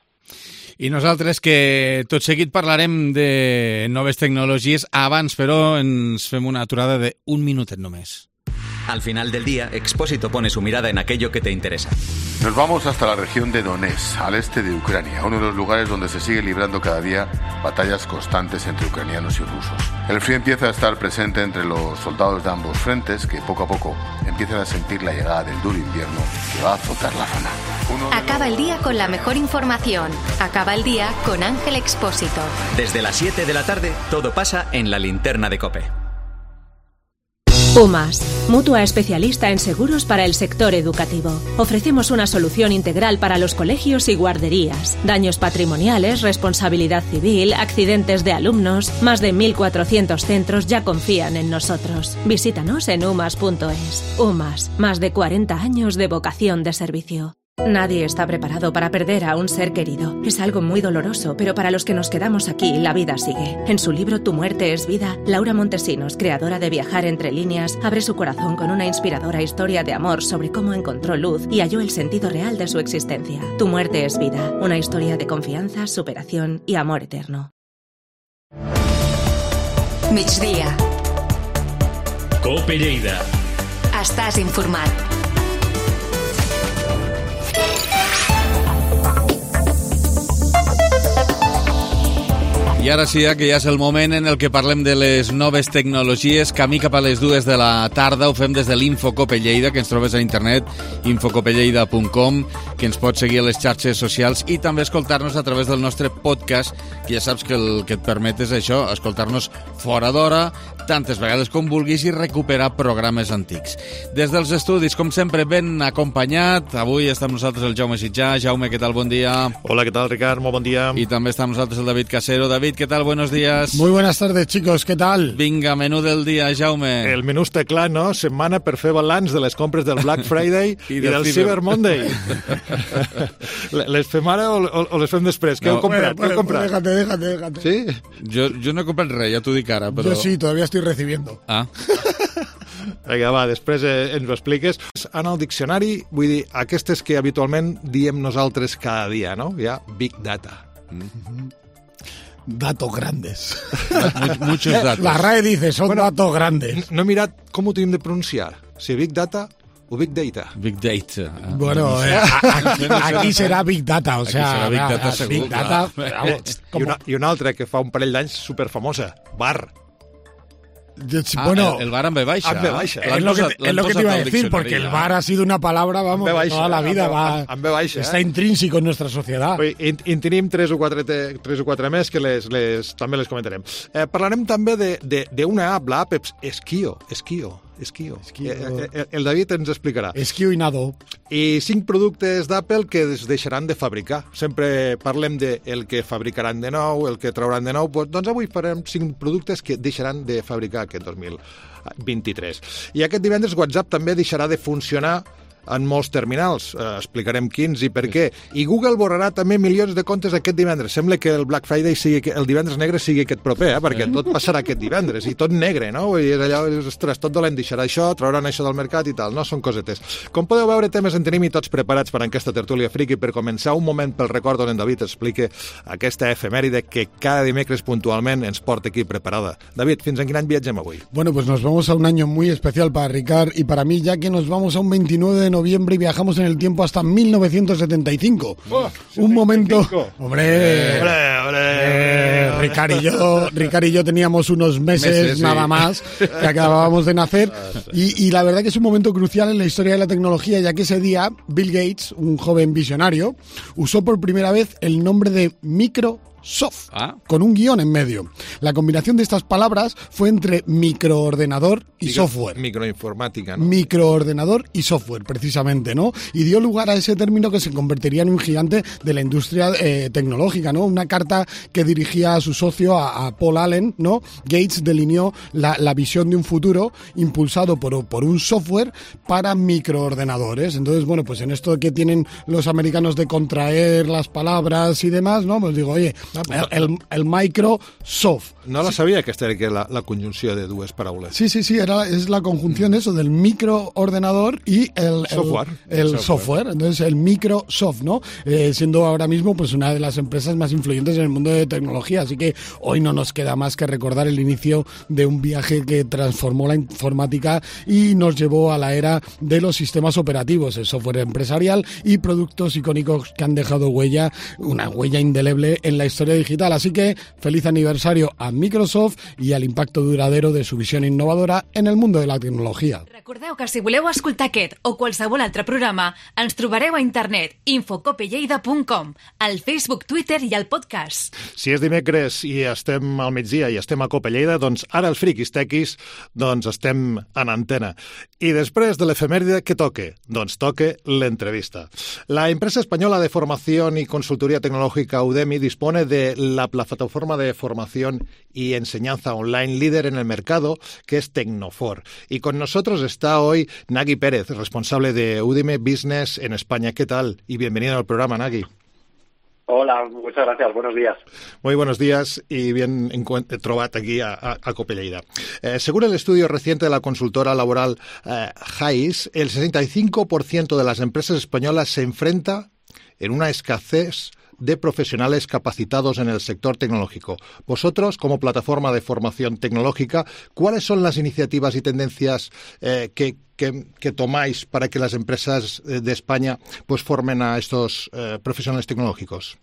I nosaltres, que tot seguit parlarem de noves tecnologies, abans, però, ens fem una aturada de 1 minutet només. Al final del día, Expósito pone su mirada en aquello que te interesa. Nos vamos hasta la región de Donetsk, al este de Ucrania, uno de los lugares donde se sigue librando cada día batallas constantes entre ucranianos y rusos. El frío empieza a estar presente entre los soldados de ambos frentes, que poco a poco empiezan a sentir la llegada del duro invierno que va a azotar la zona. Acaba el día con la mejor información. Acaba el día con Ángel Expósito. Desde las 7 de la tarde, todo pasa en la linterna de COPE. UMAS, mutua especialista en seguros para el sector educativo. Ofrecemos una solución integral para los colegios y guarderías. Daños patrimoniales, responsabilidad civil, accidentes de alumnos. Más de 1.400 centros ya confían en nosotros. Visítanos en umas.es. UMAS, más de 40 años de vocación de servicio. Nadie está preparado para perder a un ser querido. Es algo muy doloroso, pero para los que nos quedamos aquí, la vida sigue. En su libro Tu muerte es vida, Laura Montesinos, creadora de Viajar entre líneas, abre su corazón con una inspiradora historia de amor sobre cómo encontró luz y halló el sentido real de su existencia. Tu muerte es vida, una historia de confianza, superación y amor eterno. Migdia. Cope Lleida. Estàs informat. I ara sí, que ja és el moment en el que parlem de les noves tecnologies. Camí cap a les 2 de la tarda. Ho fem des de l'Infocope Lleida, que ens trobes a internet, infocopelleida.com, que ens pots seguir a les xarxes socials i també escoltar-nos a través del nostre podcast, que ja saps que el que et permet és això, escoltar-nos fora d'hora, tantes vegades com vulguis, i recuperar programes antics. Des dels estudis, com sempre, ben acompanyat. Avui està amb nosaltres el Jaume Sitjà. Jaume, què tal? Bon dia. Hola, ¿qué tal, Ricard? Muy buen día. I també està amb nosaltres el David Casero. David, ¿qué tal? Buenos días. Muy buenas tardes, chicos. ¿Qué tal? Vinga, menú del dia, Jaume. El menú està clar, no? Setmana per fer balanç de les compres del Black Friday i del Cyber Monday. Les fem ara o les fem després? Què heu comprat? Què heu comprat? Déjate. Sí? Jo no he comprat res, ja t'ho dic ara, però... Yo sí, todavía estoy recibiendo. Ah. Vinga, va, després ens ho expliques. En el diccionari, vull dir, aquestes que habitualment diem nosaltres cada dia, no? Hi ha Big Data. Datos grandes. Muchos datos. La RAE dice, son datos grandes. No he mirat com ho tenim de pronunciar. Si Big Data o Big Data. Big Data. Bueno, aquí serà Big Data, o sea... Big Data segur, Big Data, I una altra que fa un parell d'anys superfamosa, Bar. Bueno, el bar amb B baixa. Amb B baixa. Es lo que te iba a decir, porque el bar ha sido una palabra, vamos, toda la vida. Amb B baixa. Está intrínseco en nuestra sociedad. I tenim tres o quatre més que també les comentarem. Parlarem també d'una app, l'app Esquio. El David ens explicarà. Esquio i Nado. I 5 productes d'Apple que es deixaran de fabricar. Sempre parlem del que fabricaran de nou, el que trauran de nou. Doncs avui farem 5 productes que deixaran de fabricar aquest 2023. I aquest divendres WhatsApp també deixarà de funcionar en molts terminals. Explicarem quins i per què. I Google borrarà també milions de comptes aquest divendres. Sembla que el Black Friday el divendres negre sigui aquest proper, perquè tot passarà aquest divendres i tot negre, no? I és allò, ostres, tot dolent, deixarà això, trauran això del mercat i tal, no? Són cosetes. Com podeu veure, temes en tenim i tots preparats per aquesta tertúlia friki. Per començar, un moment pel record on en David explica aquesta efemèride que cada dimecres puntualment ens porta aquí preparada. David, fins en quin any viatgem avui? Bueno, pues nos vamos a un año muy especial para Ricard y para mí, ya que nos vamos a un 29 de noviembre y viajamos en el tiempo hasta 1975. Un momento... ¡Hombre! Ricard y yo teníamos unos meses nada más que acabábamos de nacer y la verdad que es un momento crucial en la historia de la tecnología, ya que ese día Bill Gates, un joven visionario, usó por primera vez el nombre de Microsoft, con un guión en medio. La combinación de estas palabras fue entre microordenador y software. Microinformática, ¿no? Microordenador y software, precisamente, ¿no? Y dio lugar a ese término que se convertiría en un gigante de la industria tecnológica, ¿no? Una carta que dirigía a su socio, a Paul Allen, ¿no? Gates delineó la visión de un futuro impulsado por un software para microordenadores. Entonces, bueno, pues en esto que tienen los americanos de contraer las palabras y demás, ¿no? Pues digo, oye, el Microsoft. No la sabia, aquesta era la conjunció de dues paraules. Sí, es la conjunción eso del microordenador y el software. Entonces el Microsoft, ¿no? Siendo ahora mismo pues una de las empresas más influyentes en el mundo de tecnología. Así que hoy no nos queda más que recordar el inicio de un viaje que transformó la informática y nos llevó a la era de los sistemas operativos, el software empresarial y productos icónicos que han dejado una huella indeleble en la historia historia digital. Así que feliz aniversario a Microsoft i a l'impacte duradero de su visió innovadora en el mundo de la tecnologia. Recordeu que si voleu escoltar aquest o qualsevol altre programa, ens trobareu a internet infocopelleida.com, al Facebook, Twitter i al podcast. Si és dimecres i estem al migdia i estem a Cope Lleida, doncs ara els friquis tequis doncs estem en antena. I després de l'efemèride, què toque? Doncs toque l'entrevista. La empresa española de formación y consultoría tecnológica Udemy dispone de la plataforma de formación y enseñanza online líder en el mercado, que es Tecnofor. Y con nosotros está hoy Nagui Pérez, responsable de Udemy Business en España. ¿Qué tal? Y bienvenido al programa, Nagui. Hola, muchas gracias. Buenos días. Muy buenos días y bien trobat aquí a Cope Lleida. Según el estudio reciente de la consultora laboral Hays, el 65% de las empresas españolas se enfrenta en una escasez de profesionales capacitados en el sector tecnológico. Vosotros, como plataforma de formación tecnológica, ¿cuáles son las iniciativas y tendencias que tomáis para que las empresas de España pues formen a estos profesionales tecnológicos?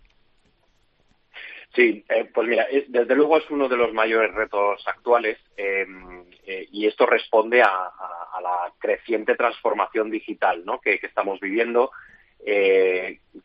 Sí, pues mira, desde luego es uno de los mayores retos actuales y esto responde a la creciente transformación digital, ¿no?, que estamos viviendo.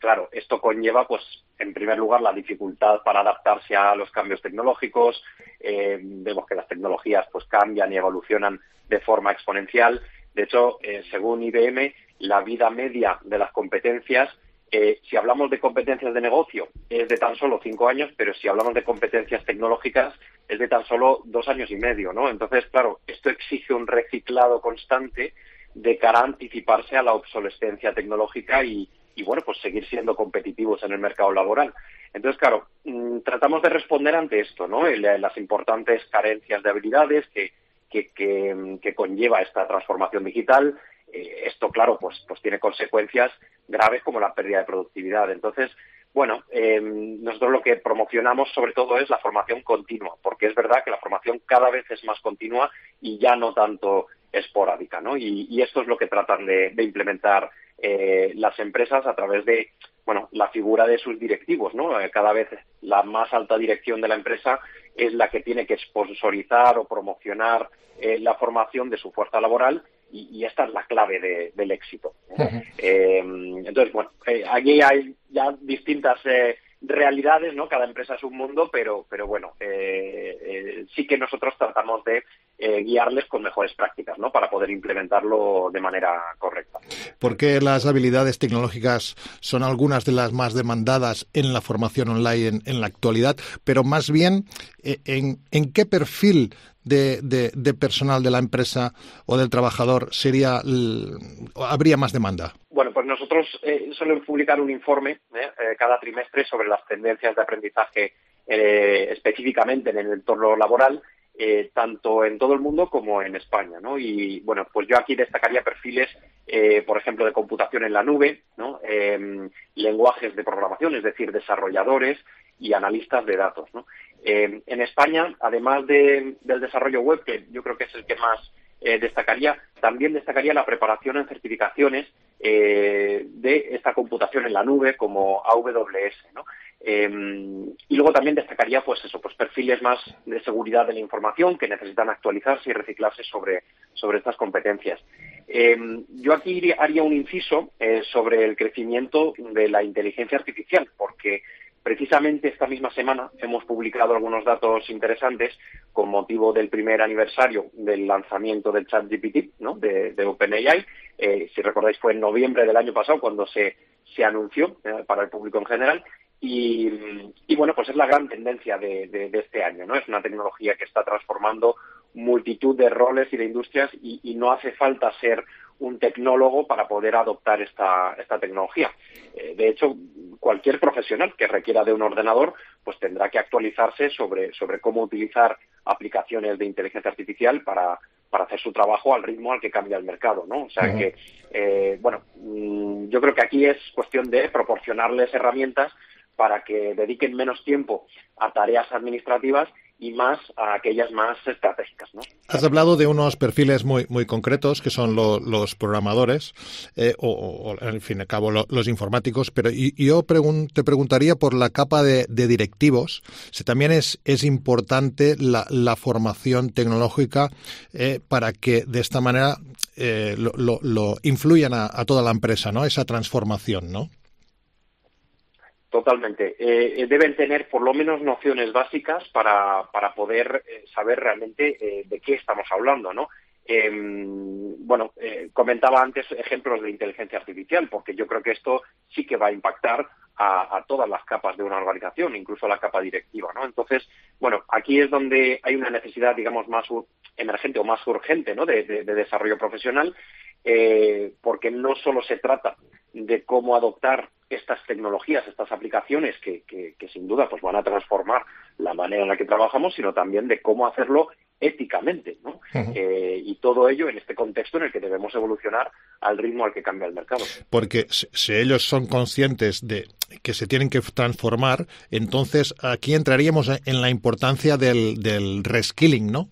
Claro, esto conlleva, pues, en primer lugar, la dificultad para adaptarse a los cambios tecnológicos. Vemos que las tecnologías, pues, cambian y evolucionan de forma exponencial. De hecho, según IBM, la vida media de las competencias, si hablamos de competencias de negocio, es de tan solo 5 años, pero si hablamos de competencias tecnológicas, es de tan solo 2 años y medio, ¿no? Entonces, claro, esto exige un reciclado constante de cara a anticiparse a la obsolescencia tecnológica y bueno, pues seguir siendo competitivos en el mercado laboral. Entonces, claro, tratamos de responder ante esto, ¿no? Las importantes carencias de habilidades que conlleva esta transformación digital. Esto, claro, pues tiene consecuencias graves como la pérdida de productividad. Entonces, bueno, nosotros lo que promocionamos sobre todo es la formación continua, porque es verdad que la formación cada vez es más continua y ya no tanto esporádica, ¿no? Y esto es lo que tratan de implementar las empresas a través de, bueno, la figura de sus directivos, ¿no? Cada vez la más alta dirección de la empresa es la que tiene que sponsorizar o promocionar la formación de su fuerza laboral y esta es la clave del éxito. Entonces, bueno, aquí hay ya distintas realidades, ¿no? Cada empresa es un mundo, pero bueno, sí que nosotros tratamos de guiarles con mejores prácticas, ¿no?, para poder implementarlo de manera correcta. ¿Por qué las habilidades tecnológicas son algunas de las más demandadas en la formación online en la actualidad? Pero más bien, ¿en qué perfil de personal de la empresa o del trabajador habría más demanda? Bueno, pues nosotros solemos publicar un informe cada trimestre sobre las tendencias de aprendizaje específicamente en el entorno laboral, tanto en todo el mundo como en España, ¿no? Y bueno, pues yo aquí destacaría perfiles, por ejemplo, de computación en la nube, ¿no? Lenguajes de programación, es decir, desarrolladores y analistas de datos, ¿no? En España, además del desarrollo web, que yo creo que es el que más destacaría, también destacaría la preparación en certificaciones de esta computación en la nube como AWS, ¿no? Y luego también destacaría pues perfiles más de seguridad de la información que necesitan actualizarse y reciclarse sobre estas competencias. Yo aquí haría un inciso sobre el crecimiento de la inteligencia artificial, porque precisamente esta misma semana hemos publicado algunos datos interesantes con motivo del primer aniversario del lanzamiento del ChatGPT, ¿no?, de OpenAI. Si recordáis, fue en noviembre del año pasado cuando se anunció para el público en general. Y bueno, pues es la gran tendencia de este año, ¿no? Es una tecnología que está transformando multitud de roles y de industrias y no hace falta ser un tecnólogo para poder adoptar esta tecnología. De hecho, cualquier profesional que requiera de un ordenador pues tendrá que actualizarse sobre cómo utilizar aplicaciones de inteligencia artificial para hacer su trabajo al ritmo al que cambia el mercado, ¿no? O sea que, yo creo que aquí es cuestión de proporcionarles herramientas para que dediquen menos tiempo a tareas administrativas y más a aquellas más estratégicas, ¿no? Has hablado de unos perfiles muy concretos, que son los programadores, o en fin, al cabo los informáticos, pero yo te preguntaría por la capa de directivos, si también es importante la formación tecnológica para que de esta manera lo influyan a toda la empresa, ¿no? Esa transformación, ¿no? Totalmente. Deben tener por lo menos nociones básicas para poder saber realmente de qué estamos hablando, ¿no? Comentaba antes ejemplos de inteligencia artificial, porque yo creo que esto sí que va a impactar a todas las capas de una organización, incluso a la capa directiva, ¿no? Entonces, aquí es donde hay una necesidad, digamos, más emergente o más urgente, ¿no? de desarrollo profesional, porque no solo se trata de cómo adoptar estas tecnologías, estas aplicaciones que sin duda pues van a transformar la manera en la que trabajamos, sino también de cómo hacerlo éticamente, ¿no? Y todo ello en este contexto en el que debemos evolucionar al ritmo al que cambia el mercado. Porque si ellos son conscientes de que se tienen que transformar, entonces aquí entraríamos en la importancia del reskilling, ¿no?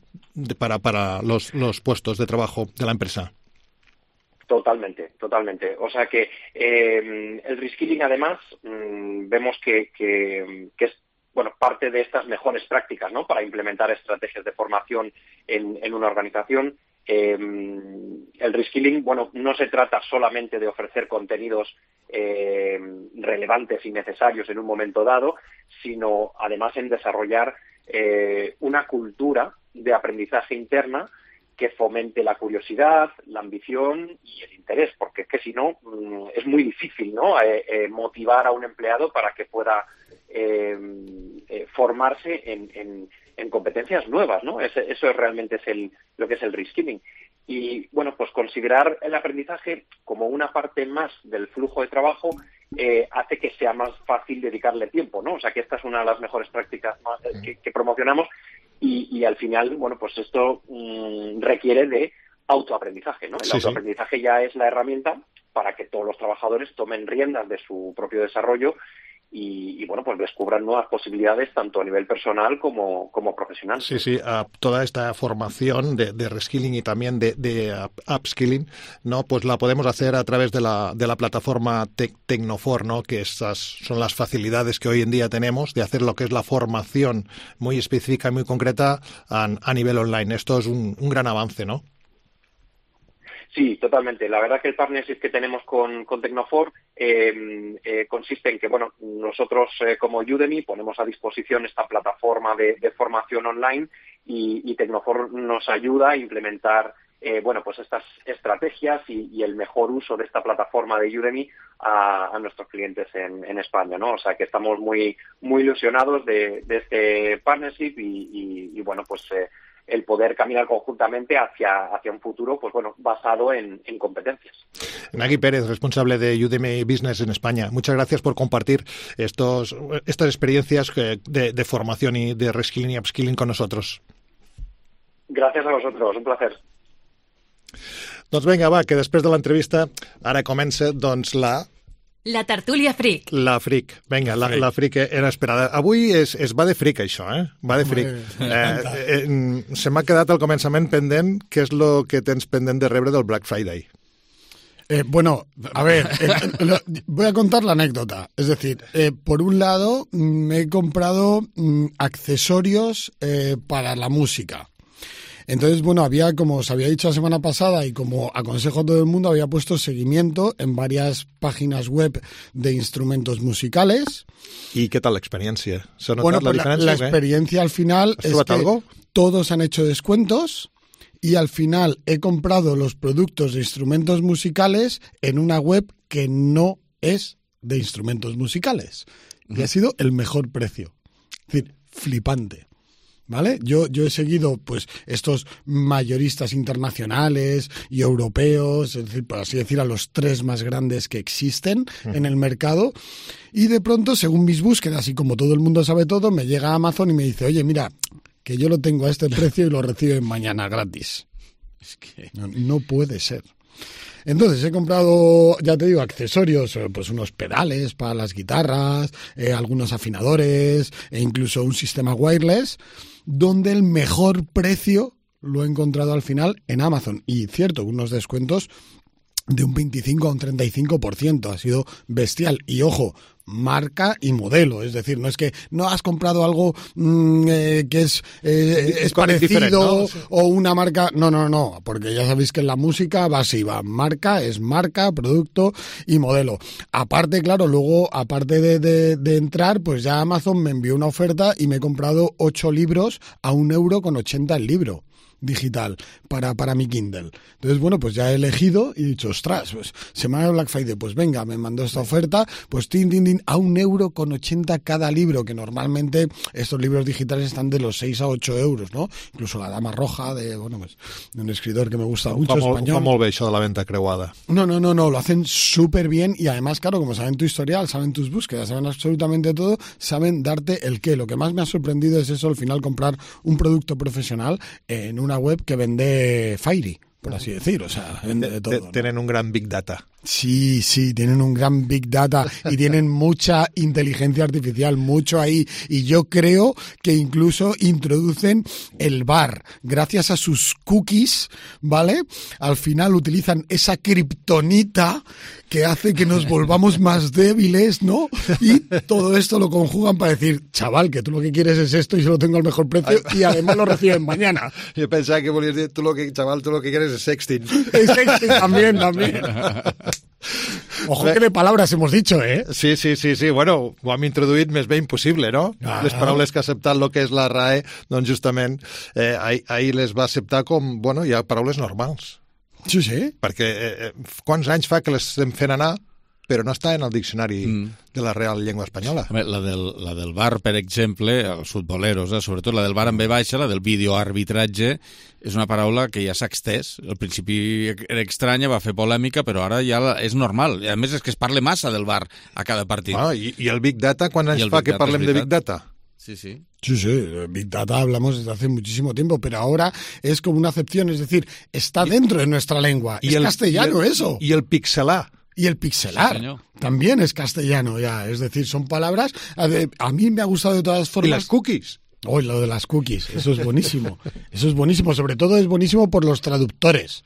Para los puestos de trabajo de la empresa. Totalmente. O sea que el reskilling, además, vemos que es parte de estas mejores prácticas, ¿no? Para implementar estrategias de formación en una organización. El reskilling, no se trata solamente de ofrecer contenidos relevantes y necesarios en un momento dado, sino además en desarrollar una cultura de aprendizaje interna que fomente la curiosidad, la ambición y el interés, porque es que si no es muy difícil, ¿no? Motivar a un empleado para que pueda formarse en competencias nuevas, ¿no? Eso realmente es lo que es el reskilling. Y pues considerar el aprendizaje como una parte más del flujo de trabajo hace que sea más fácil dedicarle tiempo, ¿no? O sea que esta es una de las mejores prácticas que promocionamos. Y al final, pues esto requiere de autoaprendizaje, ¿no? El autoaprendizaje ya es la herramienta para que todos los trabajadores tomen riendas de su propio desarrollo y pues descubran nuevas posibilidades tanto a nivel personal como profesional. Sí, toda esta formación de reskilling y también de upskilling, ¿no? Pues la podemos hacer a través de la plataforma Tecnofor, ¿no? Que estas son las facilidades que hoy en día tenemos de hacer lo que es la formación muy específica y muy concreta a nivel online. Esto es un gran avance, ¿no? Sí, totalmente. La verdad que el partnership que tenemos con Tecnofor consiste en que, nosotros como Udemy ponemos a disposición esta plataforma de formación online y Tecnofor nos ayuda a implementar pues estas estrategias y el mejor uso de esta plataforma de Udemy a nuestros clientes en España, ¿no? O sea que estamos muy ilusionados de este partnership y el poder caminar conjuntamente hacia un futuro basado en competencias. Nagui Pérez, responsable de Udemy Business en España. Muchas gracias por compartir estas experiencias de formación y de reskilling y upskilling con nosotros. Gràcies a vosaltres, un placer. Doncs vinga, va, que després de l'entrevista ara comença La tertúlia fric. La fric. Vinga, la fric era esperada. Avui es va de fric, això, Va de fric. Se m'ha quedat al començament pendent què és el que tens pendent de rebre del Black Friday. A ver, voy a contar la anécdota. Es decir, por un lado, me he comprado accesorios para la música. Entonces, había, como os había dicho la semana pasada y como aconsejo a todo el mundo, había puesto seguimiento en varias páginas web de instrumentos musicales. ¿Y qué tal la experiencia? ¿Se ha notado la diferencia? La experiencia al final es que algo? Todos han hecho descuentos y al final he comprado los productos de instrumentos musicales en una web que no es de instrumentos musicales. Y ha sido el mejor precio. Es decir, flipante. ¿Vale? Yo he seguido pues estos mayoristas internacionales y europeos, es decir, por así decir, a los 3 más grandes que existen en el mercado, y de pronto, según mis búsquedas y como todo el mundo sabe todo, me llega Amazon y me dice, oye, mira, que yo lo tengo a este precio y lo reciben mañana gratis. Es que no puede ser. Entonces he comprado, ya te digo, accesorios, pues unos pedales para las guitarras, algunos afinadores e incluso un sistema wireless, donde el mejor precio lo he encontrado al final en Amazon. Y cierto, unos descuentos de un 25 a un 35%. Ha sido bestial. Y ojo, marca y modelo. Es decir, no es que no has comprado algo que es parecido, ¿no? O una marca. No. Porque ya sabéis que en la música va así, va. Marca es marca, producto y modelo. Aparte, claro, luego, aparte de entrar, pues ya Amazon me envió una oferta y me he comprado 8 libros a €1,80 el libro digital para mi Kindle. Entonces, bueno, pues ya he elegido y he dicho, ostras, pues semana de Black Friday, pues venga, me mandó esta oferta, pues a €1,80 cada libro, que normalmente estos libros digitales están de los 6 a 8 euros, ¿no? Incluso La Dama Roja, de un escritor que me gusta mucho, español. Fa molt bé això de la venta creuada. No, lo hacen súper bien y además, claro, como saben tu historial, saben tus búsquedas, saben absolutamente todo, saben darte el qué. Lo que más me ha sorprendido es eso, al final comprar un producto profesional en una web que vende Fairy, por así decir, o sea, vende de todo. Tienen un gran Big Data. Sí, tienen un gran Big Data y tienen mucha inteligencia artificial, mucho ahí. Y yo creo que incluso introducen el VAR. Gracias a sus cookies, ¿vale? Al final utilizan esa kriptonita que hace que nos volvamos más débiles, ¿no? Y todo esto lo conjugan para decir, chaval, que tú lo que quieres es esto y yo lo tengo al mejor precio y además lo reciben mañana. Yo pensaba que volvías a decir, chaval, tú lo que quieres es sexting. Es sexting también. Ojo que de palabras hemos dicho, ¿eh? Sí. Bueno, ho hem introduït més bé impossible, no? Les paraules que ha acceptat el que és la RAE, doncs justament ahir les va acceptar com, bueno, hi ha paraules normals. Sí. Perquè quants anys fa que les estem fent anar, però no està en el diccionari de la Real Llengua Espanyola. La del VAR, per exemple, els futboleros, sobretot la del VAR en B baixa, la del videoarbitratge, és una paraula que ja s'ha extès. Al principi era estranya, va fer polèmica, però ara ja és normal. I a més és que es parla massa del VAR a cada partit. I el Big Data, quants anys fa que parlem de Big Data? Sí. Sí, Big Data hablamos desde hace muchísimo tiempo, pero ahora es como una acepción, es decir, está dentro de nuestra lengua. Es castellano eso. Y el pixelar. Y el pixelar también es castellano ya, es decir, son palabras. A mí me ha gustado de todas formas. ¿Y las cookies? Lo de las cookies, eso es buenísimo. Sobre todo es buenísimo por los traductores.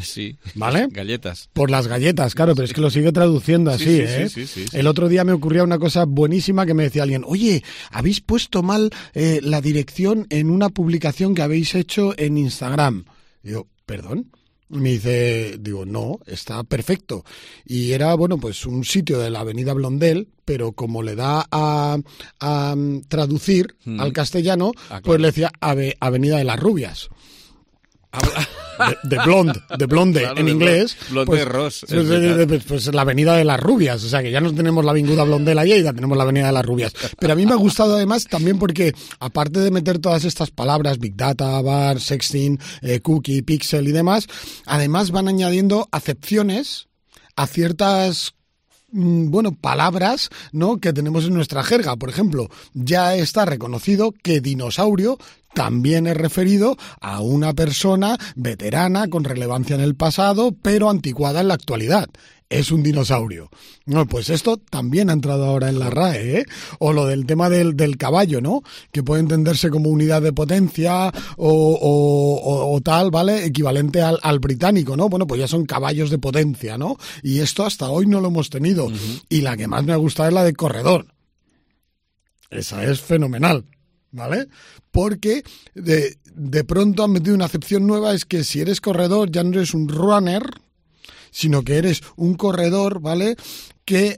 Sí, ¿vale? Galletas. Por las galletas, claro, pero es que lo sigue traduciendo así, Sí. El otro día me ocurría una cosa buenísima que me decía alguien, oye, habéis puesto mal la dirección en una publicación que habéis hecho en Instagram. Digo, ¿perdón? Me dice, no, está perfecto. Y era, pues un sitio de la avenida Blondel, pero como le da a traducir al castellano, pues le decía Avenida de las Rubias. De blonde claro, en inglés, Blonde Ross, pues la avenida de las rubias, o sea que ya no tenemos la avinguda Blondel allí, ya tenemos la avenida de las rubias. Pero a mí me ha gustado además también porque aparte de meter todas estas palabras, Big Data, VAR, Sexting, Cookie, Pixel y demás, además van añadiendo acepciones a ciertas palabras, ¿no?, que tenemos en nuestra jerga. Por ejemplo, ya está reconocido que dinosaurio también es referido a una persona veterana con relevancia en el pasado, pero anticuada en la actualidad. Es un dinosaurio. No, pues esto también ha entrado ahora en la RAE, ¿eh? O lo del tema del caballo, ¿no? Que puede entenderse como unidad de potencia o tal, ¿vale? Equivalente al británico, ¿no? Bueno, pues ya son caballos de potencia, ¿no? Y esto hasta hoy no lo hemos tenido. Y la que más me ha gustado es la de corredor. Esa es fenomenal, ¿vale? Porque de pronto han metido una acepción nueva, es que si eres corredor ya no eres un runner, sino que eres un corredor, ¿vale?, que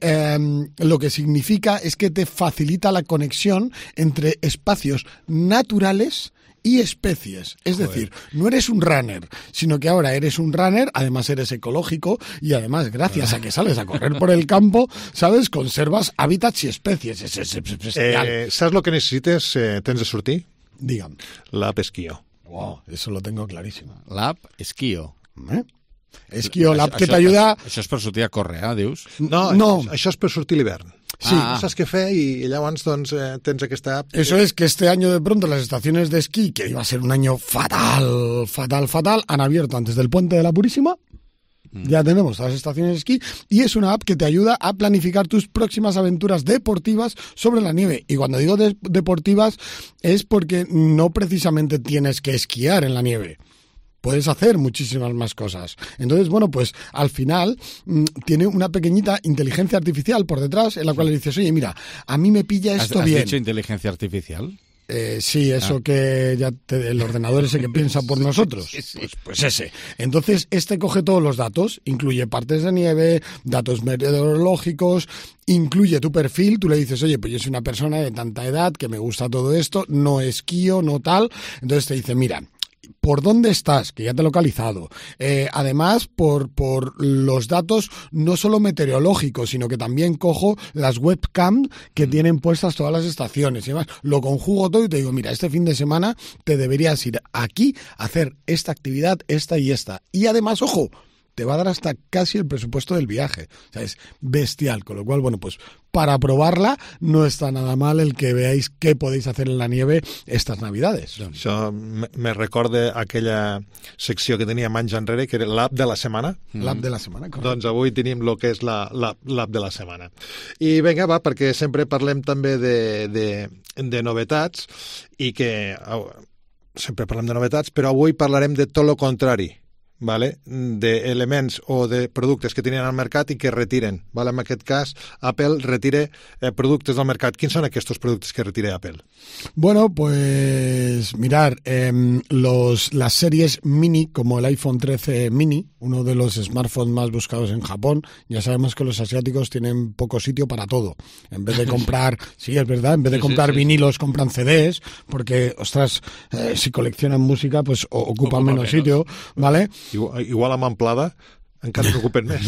lo que significa es que te facilita la conexión entre espacios naturales y especies. Es decir, no eres un runner, sino que ahora eres un runner, además eres ecológico y además gracias a que sales a correr por el campo, ¿sabes?, conservas hábitats y especies. ¿Sabes lo que necesites tens de sortir? Digue'm. L'app Esquio. Wow, eso lo tengo clarísimo. L'app Esquio. Esquio, l'app que t'ajuda... Això és per sortir a córrer, dius? No. Això és per sortir l'hivern. Sí, no saps què fer y llavors tens aquesta app. Eso es que este año de pronto las estaciones de esquí, que iba a ser un año fatal, han abierto antes del Puente de la Purísima, Ya tenemos las estaciones de esquí y es una app que te ayuda a planificar tus próximas aventuras deportivas sobre la nieve. Y cuando digo deportivas es porque no precisamente tienes que esquiar en la nieve. Puedes hacer muchísimas más cosas. Entonces, bueno, pues al final tiene una pequeñita inteligencia artificial por detrás en la cual le dices, oye, mira, a mí me pilla esto bien. ¿Has dicho inteligencia artificial? Sí, eso que ya el ordenador ese que piensa por nosotros. Pues ese. Entonces, coge todos los datos, incluye partes de nieve, datos meteorológicos, incluye tu perfil, tú le dices, oye, pues yo soy una persona de tanta edad que me gusta todo esto, no esquío, no tal. Entonces te dice, mira, ¿por dónde estás? Que ya te he localizado. Además, por los datos no solo meteorológicos, sino que también cojo las webcam que tienen puestas todas las estaciones. Y además, lo conjugo todo y te digo, mira, este fin de semana te deberías ir aquí a hacer esta actividad, esta y esta. Y además, ojo, te va a dar hasta casi el presupuesto del viaje. O sea, es bestial. Con lo cual, bueno, pues para probarla no está nada mal el que veáis qué podéis hacer en la nieve estas Navidades. Això me recorda aquella secció que teníem anys enrere, que era l'app de la setmana. L'app de la setmana, correcte. Doncs avui tenim el que és l'app de la setmana. I vinga, va, perquè sempre parlem també de novetats, i que sempre parlem de novetats, però avui parlarem de tot el contrari. Vale? D'elements o de productes que tenien al mercat i que retiren. Vale? En aquest cas, Apple retira productes del mercat. Quins són aquests productes que retira Apple? Bueno, pues mirar, las series mini, como el iPhone 13 mini, uno de los smartphones más buscados en Japón, ya sabemos que los asiáticos tienen poco sitio para todo. En vez de comprar, sí, es verdad, en vez de comprar vinilos, compran CDs, porque, ostras, si coleccionan música, pues ocupan menos sitio, ¿vale? Igual amb Amplada encara se ocupen més.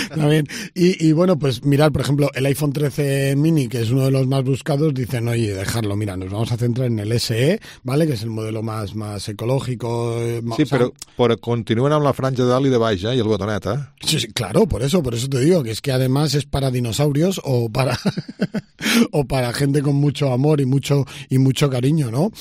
También. Y bueno, pues mirar, por ejemplo, el iPhone 13 mini, que es uno de los más buscados, dicen, oye, dejarlo, mira, nos vamos a centrar en el SE, ¿vale? Que es el modelo más ecológico. Sí, pero continúen amb la franja de dalt i de baix, y el botonet, ¿eh? Sí, claro, por eso te digo, que es que además es para dinosaurios o para o para gente con mucho amor y mucho cariño, ¿no?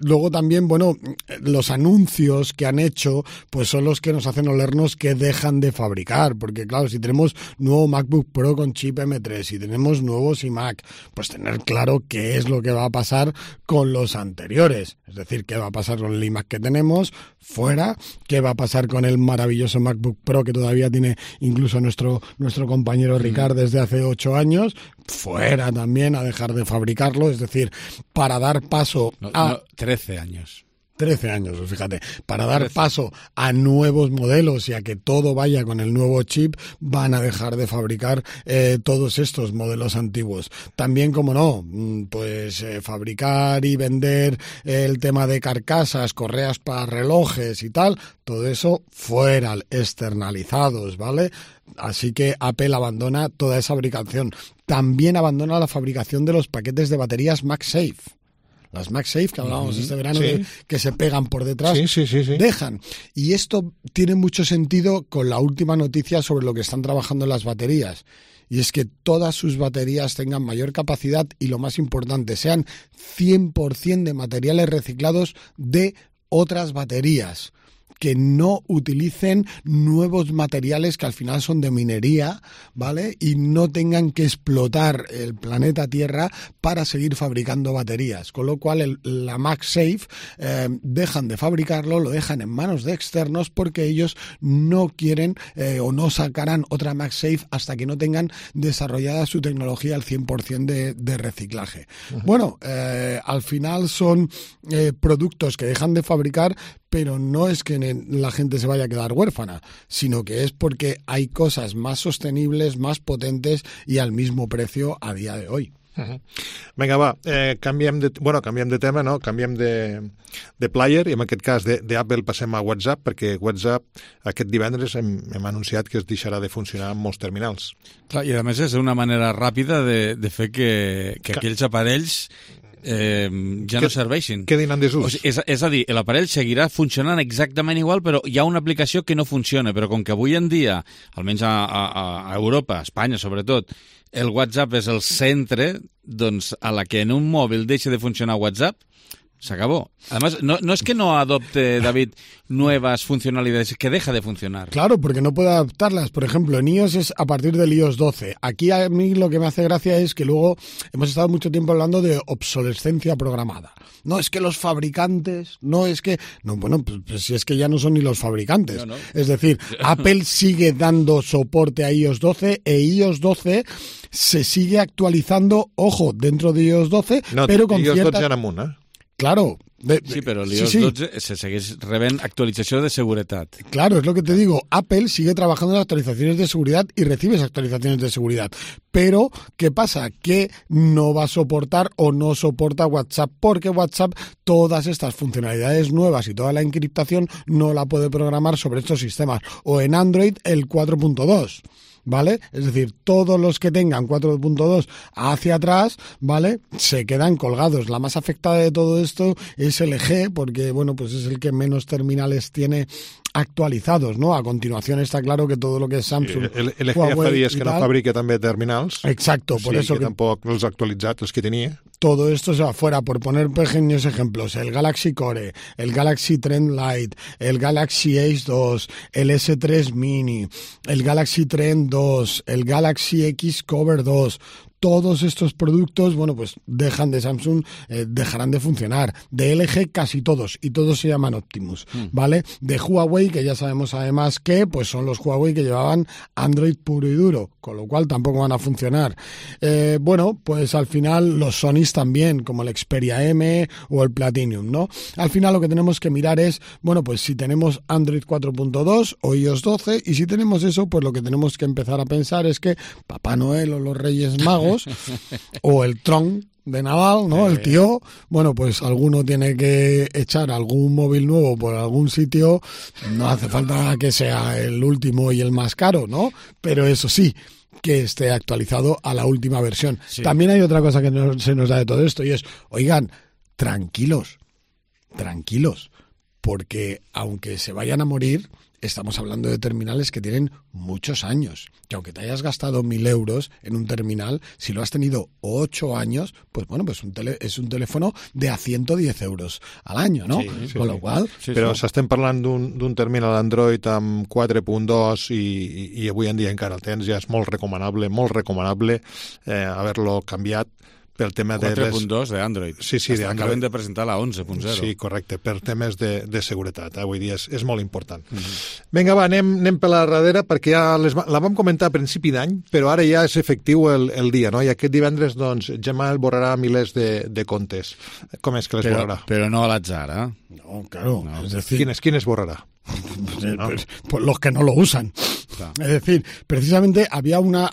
Luego también, bueno, los anuncios que han hecho, pues son los que nos hacen olernos que dejan de fabricar, porque claro, si tenemos nuevo MacBook Pro con chip M3, si tenemos nuevos iMac, pues tener claro qué es lo que va a pasar con los anteriores, es decir, qué va a pasar con el iMac que tenemos, fuera, qué va a pasar con el maravilloso MacBook Pro que todavía tiene incluso nuestro compañero Ricard desde hace 8 años, fuera también, a dejar de fabricarlo, es decir, para dar paso a... 13 años. 13 años, fíjate, para dar paso a nuevos modelos y a que todo vaya con el nuevo chip, van a dejar de fabricar todos estos modelos antiguos. También, como no, pues fabricar y vender el tema de carcasas, correas para relojes y tal, todo eso fuera, externalizados, ¿vale? Así que Apple abandona toda esa fabricación. También abandona la fabricación de los paquetes de baterías MagSafe. Las MagSafe, que hablábamos este verano, que se pegan por detrás, dejan. Y esto tiene mucho sentido con la última noticia sobre lo que están trabajando en las baterías. Y es que todas sus baterías tengan mayor capacidad y, lo más importante, sean 100% de materiales reciclados de otras baterías. Que no utilicen nuevos materiales que al final son de minería, ¿vale? Y no tengan que explotar el planeta Tierra para seguir fabricando baterías. Con lo cual la MagSafe dejan de fabricarlo, lo dejan en manos de externos porque ellos no quieren o no sacarán otra MagSafe hasta que no tengan desarrollada su tecnología al 100% de reciclaje. Bueno, al final son productos que dejan de fabricar, pero no es que la gente se vaya a quedar huérfana, sino que es porque hay cosas más sostenibles, más potentes y al mismo precio a día de hoy. Vinga, va, canviem de tema, no? Canviem de player i en aquest cas d'Apple passem a WhatsApp, perquè WhatsApp aquest divendres hem anunciat que es deixarà de funcionar en molts terminals. Clar, i a més és una manera ràpida de fer que aquells aparells ja no serveixin. Quedin en desús. O sigui, és a dir, l'aparell seguirà funcionant exactament igual, però hi ha una aplicació que no funciona, però com que avui en dia, almenys a Europa, a Espanya sobretot, el WhatsApp és el centre, doncs a la que en un mòbil deixa de funcionar WhatsApp, Se acabó. Además, no es que no adopte, David, nuevas funcionalidades, es que deja de funcionar. Claro, porque no puede adaptarlas. Por ejemplo, en iOS es a partir del iOS 12. Aquí a mí lo que me hace gracia es que luego hemos estado mucho tiempo hablando de obsolescencia programada. No es que los fabricantes, no es que... No, bueno, pues si es que ya no son ni los fabricantes. No. Es decir, Apple sigue dando soporte a iOS 12 e iOS 12 se sigue actualizando, ojo, dentro de iOS 12, pero con iOS ciertas... 12 en amunt, Claro. Sí, però l'iOS 12 se segueix rebent actualització de seguretat. Claro, es lo que te digo. Apple sigue trabajando en actualizaciones de seguridad y recibe esas actualizaciones de seguridad. Pero, ¿qué pasa? Que no va a soportar o no soporta WhatsApp, porque WhatsApp todas estas funcionalidades nuevas y toda la encriptación no la puede programar sobre estos sistemas. O en Android el 4.2. ¿Vale? Es decir, todos los que tengan 4.2 hacia atrás, ¿vale? Se quedan colgados. La más afectada de todo esto es LG, porque, bueno, pues es el que menos terminales tiene actualizados, ¿no? A continuación está claro que todo lo que es Samsung, LG ja fa dies que no fabrica també terminals. Exacto, por eso que tampoc els ha actualitzat, els que tenia. Todo esto se va fuera, por poner pequeños ejemplos, el Galaxy Core, el Galaxy Trend Lite, el Galaxy Ace 2, el S3 Mini, el Galaxy Trend 2, el Galaxy X Cover 2, todos estos productos, bueno, pues dejan de Samsung, dejarán de funcionar. De LG casi todos, y todos se llaman Optimus, ¿vale? De Huawei, que ya sabemos además que pues son los Huawei que llevaban Android puro y duro, con lo cual tampoco van a funcionar. Bueno, pues al final los Sonys también, como el Xperia M o el Platinum, ¿no? Al final lo que tenemos que mirar es, bueno, pues si tenemos Android 4.2 o iOS 12, y si tenemos eso, pues lo que tenemos que empezar a pensar es que Papá Noel o los Reyes Magos o el Tron de Nadal, ¿no? El tío, bueno, pues alguno tiene que echar algún móvil nuevo por algún sitio, no hace falta que sea el último y el más caro, ¿no? Pero eso sí, que esté actualizado a la última versión. Sí. También hay otra cosa que se nos da de todo esto y es, oigan, tranquilos, porque aunque se vayan a morir, estamos hablando de terminales que tienen muchos años. Que aunque te hayas gastado 1.000 euros en un terminal, si lo has tenido 8 años, pues bueno, pues es un teléfono de a 110 euros al año, ¿no? Sí, con lo cual... Sí, però s'estem parlant d'un terminal Android amb 4.2 i avui en dia encara el tens, ja és molt recomanable haver-lo canviat pel tema de... 4.2 d'Android. Sí, d'Android. Acaben de presentar la 11.0. Sí, correcte, per temes de seguretat. Avui dia és molt important. Vinga, va, anem per la darrere, perquè ja la vam comentar a principi d'any, però ara ja és efectiu el dia, no? I aquest divendres, doncs, Gmail borrarà milers de comptes. Com és que les borrarà? Però no a l'atzar, eh? No, claro. No. Es decir... ¿Quiénes borrará? Pues los que no lo usan. Claro. Es decir, precisamente había una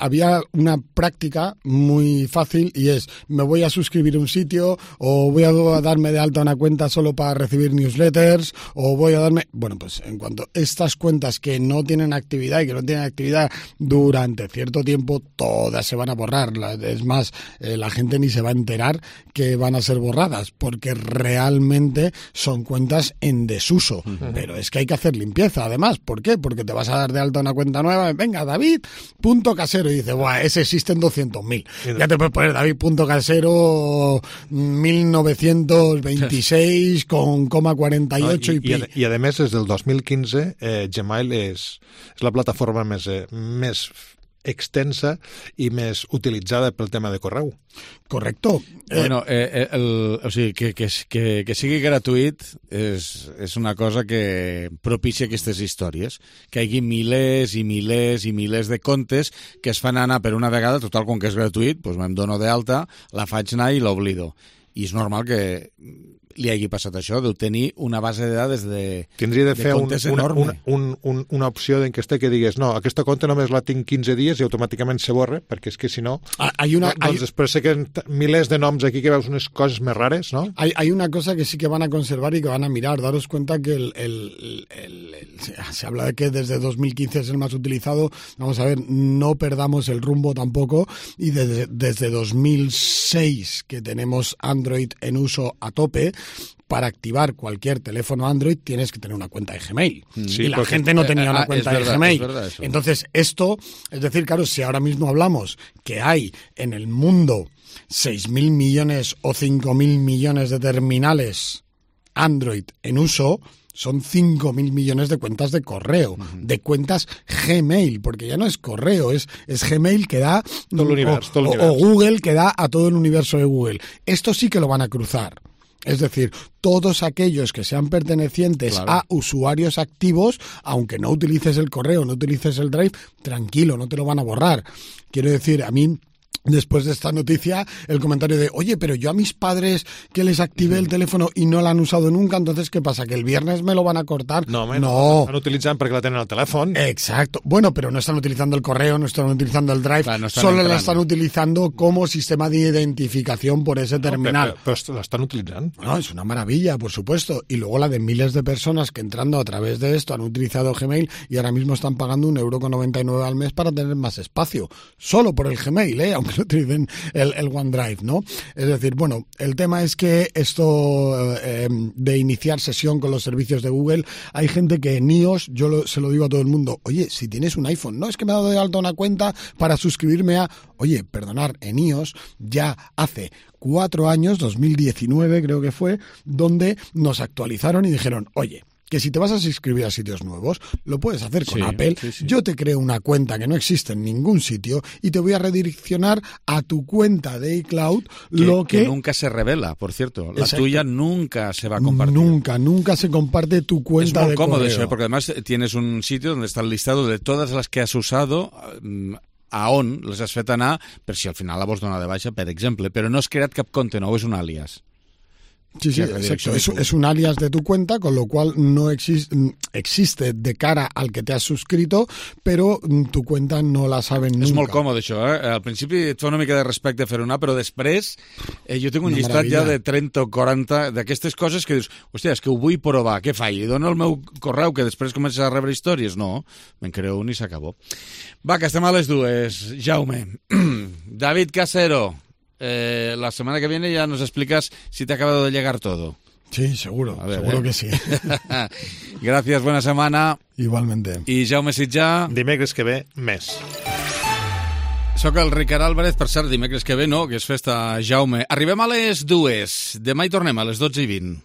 práctica muy fácil y es, me voy a suscribir a un sitio o voy a darme de alta una cuenta solo para recibir newsletters o voy a darme... Bueno, pues en cuanto a estas cuentas que no tienen actividad y que no tienen actividad durante cierto tiempo, todas se van a borrar. Es más, la gente ni se va a enterar que van a ser borradas porque realmente son cuentas en desuso. Pero es que hay que hacer limpieza, además. ¿Por qué? Porque te vas a dar de alta una cuenta nueva. Venga, David.casero. Y dice, buah, ese existen 200.000. Ya te puedes poner David.casero 1926 con coma 48 y pi. I a més, des del 2015, Gmail és la plataforma més extensa i més utilitzada pel tema de correu. Correcto. Bueno, o sigui, que sigui gratuït és una cosa que propicia aquestes històries, que hi hagi milers i milers i milers de comptes que es fan anar per una vegada, total, com que és gratuït, doncs me'n dono d'alta, la faig anar i l'oblido. I és normal que li hagi passat això, d'obtenir una base de dades de comptes enorme. Una opció en què que digues, no, aquesta compte només la tinc 15 dies i automàticament se borra, perquè és que si no... Doncs després sé que milers de noms aquí que veus unes coses més rares, ¿no? Hay una cosa que sí que van a conservar y que van a mirar. Daros cuenta que se habla de que desde 2015 es el más utilizado. Vamos a ver, no perdamos el rumbo tampoco. Y desde 2006 que tenemos Android en uso a tope, para activar cualquier teléfono Android tienes que tener una cuenta de Gmail. Sí, y la gente no tenía una cuenta de Gmail. Entonces, esto, es decir, claro, si ahora mismo hablamos que hay en el mundo 6.000 millones o 5.000 millones de terminales Android en uso, son 5.000 millones de cuentas de correo, de cuentas Gmail, porque ya no es correo, es Gmail que da todo el universo, o Google que da a todo el universo de Google. Esto sí que lo van a cruzar. Es decir, todos aquellos que sean pertenecientes a usuarios activos, aunque no utilices el correo, no utilices el Drive, tranquilo, no te lo van a borrar. Quiero decir, a mí, después de esta noticia, el comentario de, oye, pero yo a mis padres que les activé el teléfono y no lo han usado nunca, entonces, ¿qué pasa? ¿Que el viernes me lo van a cortar? No. Estan utilitzant perquè la tenen al telèfon. Exacto. Bueno, pero no están utilizando el correo, no están utilizando el Drive, solo la están utilizando como sistema de identificación por ese terminal. Pero la están utilizando. No, es una maravilla, por supuesto. Y luego la de miles de personas que entrando a través de esto han utilizado Gmail y ahora mismo están pagando 1,99 € al mes para tener más espacio. Solo por el Gmail, aunque no utilicen el OneDrive, ¿no? Es decir, bueno, el tema es que esto de iniciar sesión con los servicios de Google, hay gente que en iOS, se lo digo a todo el mundo, oye, si tienes un iPhone, no es que me he dado de alta una cuenta para suscribirme a... Oye, perdonar, en iOS ya hace 4 años, 2019 creo que fue, donde nos actualizaron y dijeron, oye, que si te vas a suscribir a sitios nuevos, lo puedes hacer con Apple. Sí. Yo te creo una cuenta que no existe en ningún sitio y te voy a redireccionar a tu cuenta de iCloud que nunca se revela, por cierto. La tuya nunca se va a compartir. Nunca se comparte tu cuenta de correo. Es muy cómodo eso, porque además tienes un sitio donde está el listado de todas las que has usado, a on les has fet anar, per si al final la vols donar de baixa, per exemple, però no has creat cap compte nou, és un àlies. Sí, exacto. Es un alias de tu cuenta, con lo cual no existe de cara al que te has suscrito, però tu cuenta no la saben nunca. És molt còmode això, Al principi et fa una mica de respecte fer una, però després jo tinc un llistat ja de 30 o 40 d'aquestes coses que dius, hòstia, és que ho vull provar, què faig? Dono el meu correu que després comences a rebre històries? No, me'n creo un i s'acabó. Va, que estem a les dues. Jaume. David Casero. La semana que viene ya nos explicas si te ha acabado de llegar todo. Sí, seguro que sí. Gracias, buena semana. Igualmente. I Jaume Sitjà. Dimecres que ve, més. Soc el Ricard Álvarez, per cert, dimecres que ve no, que és festa, Jaume. Arribem a les 2. Demà hi tornem a les 12:20.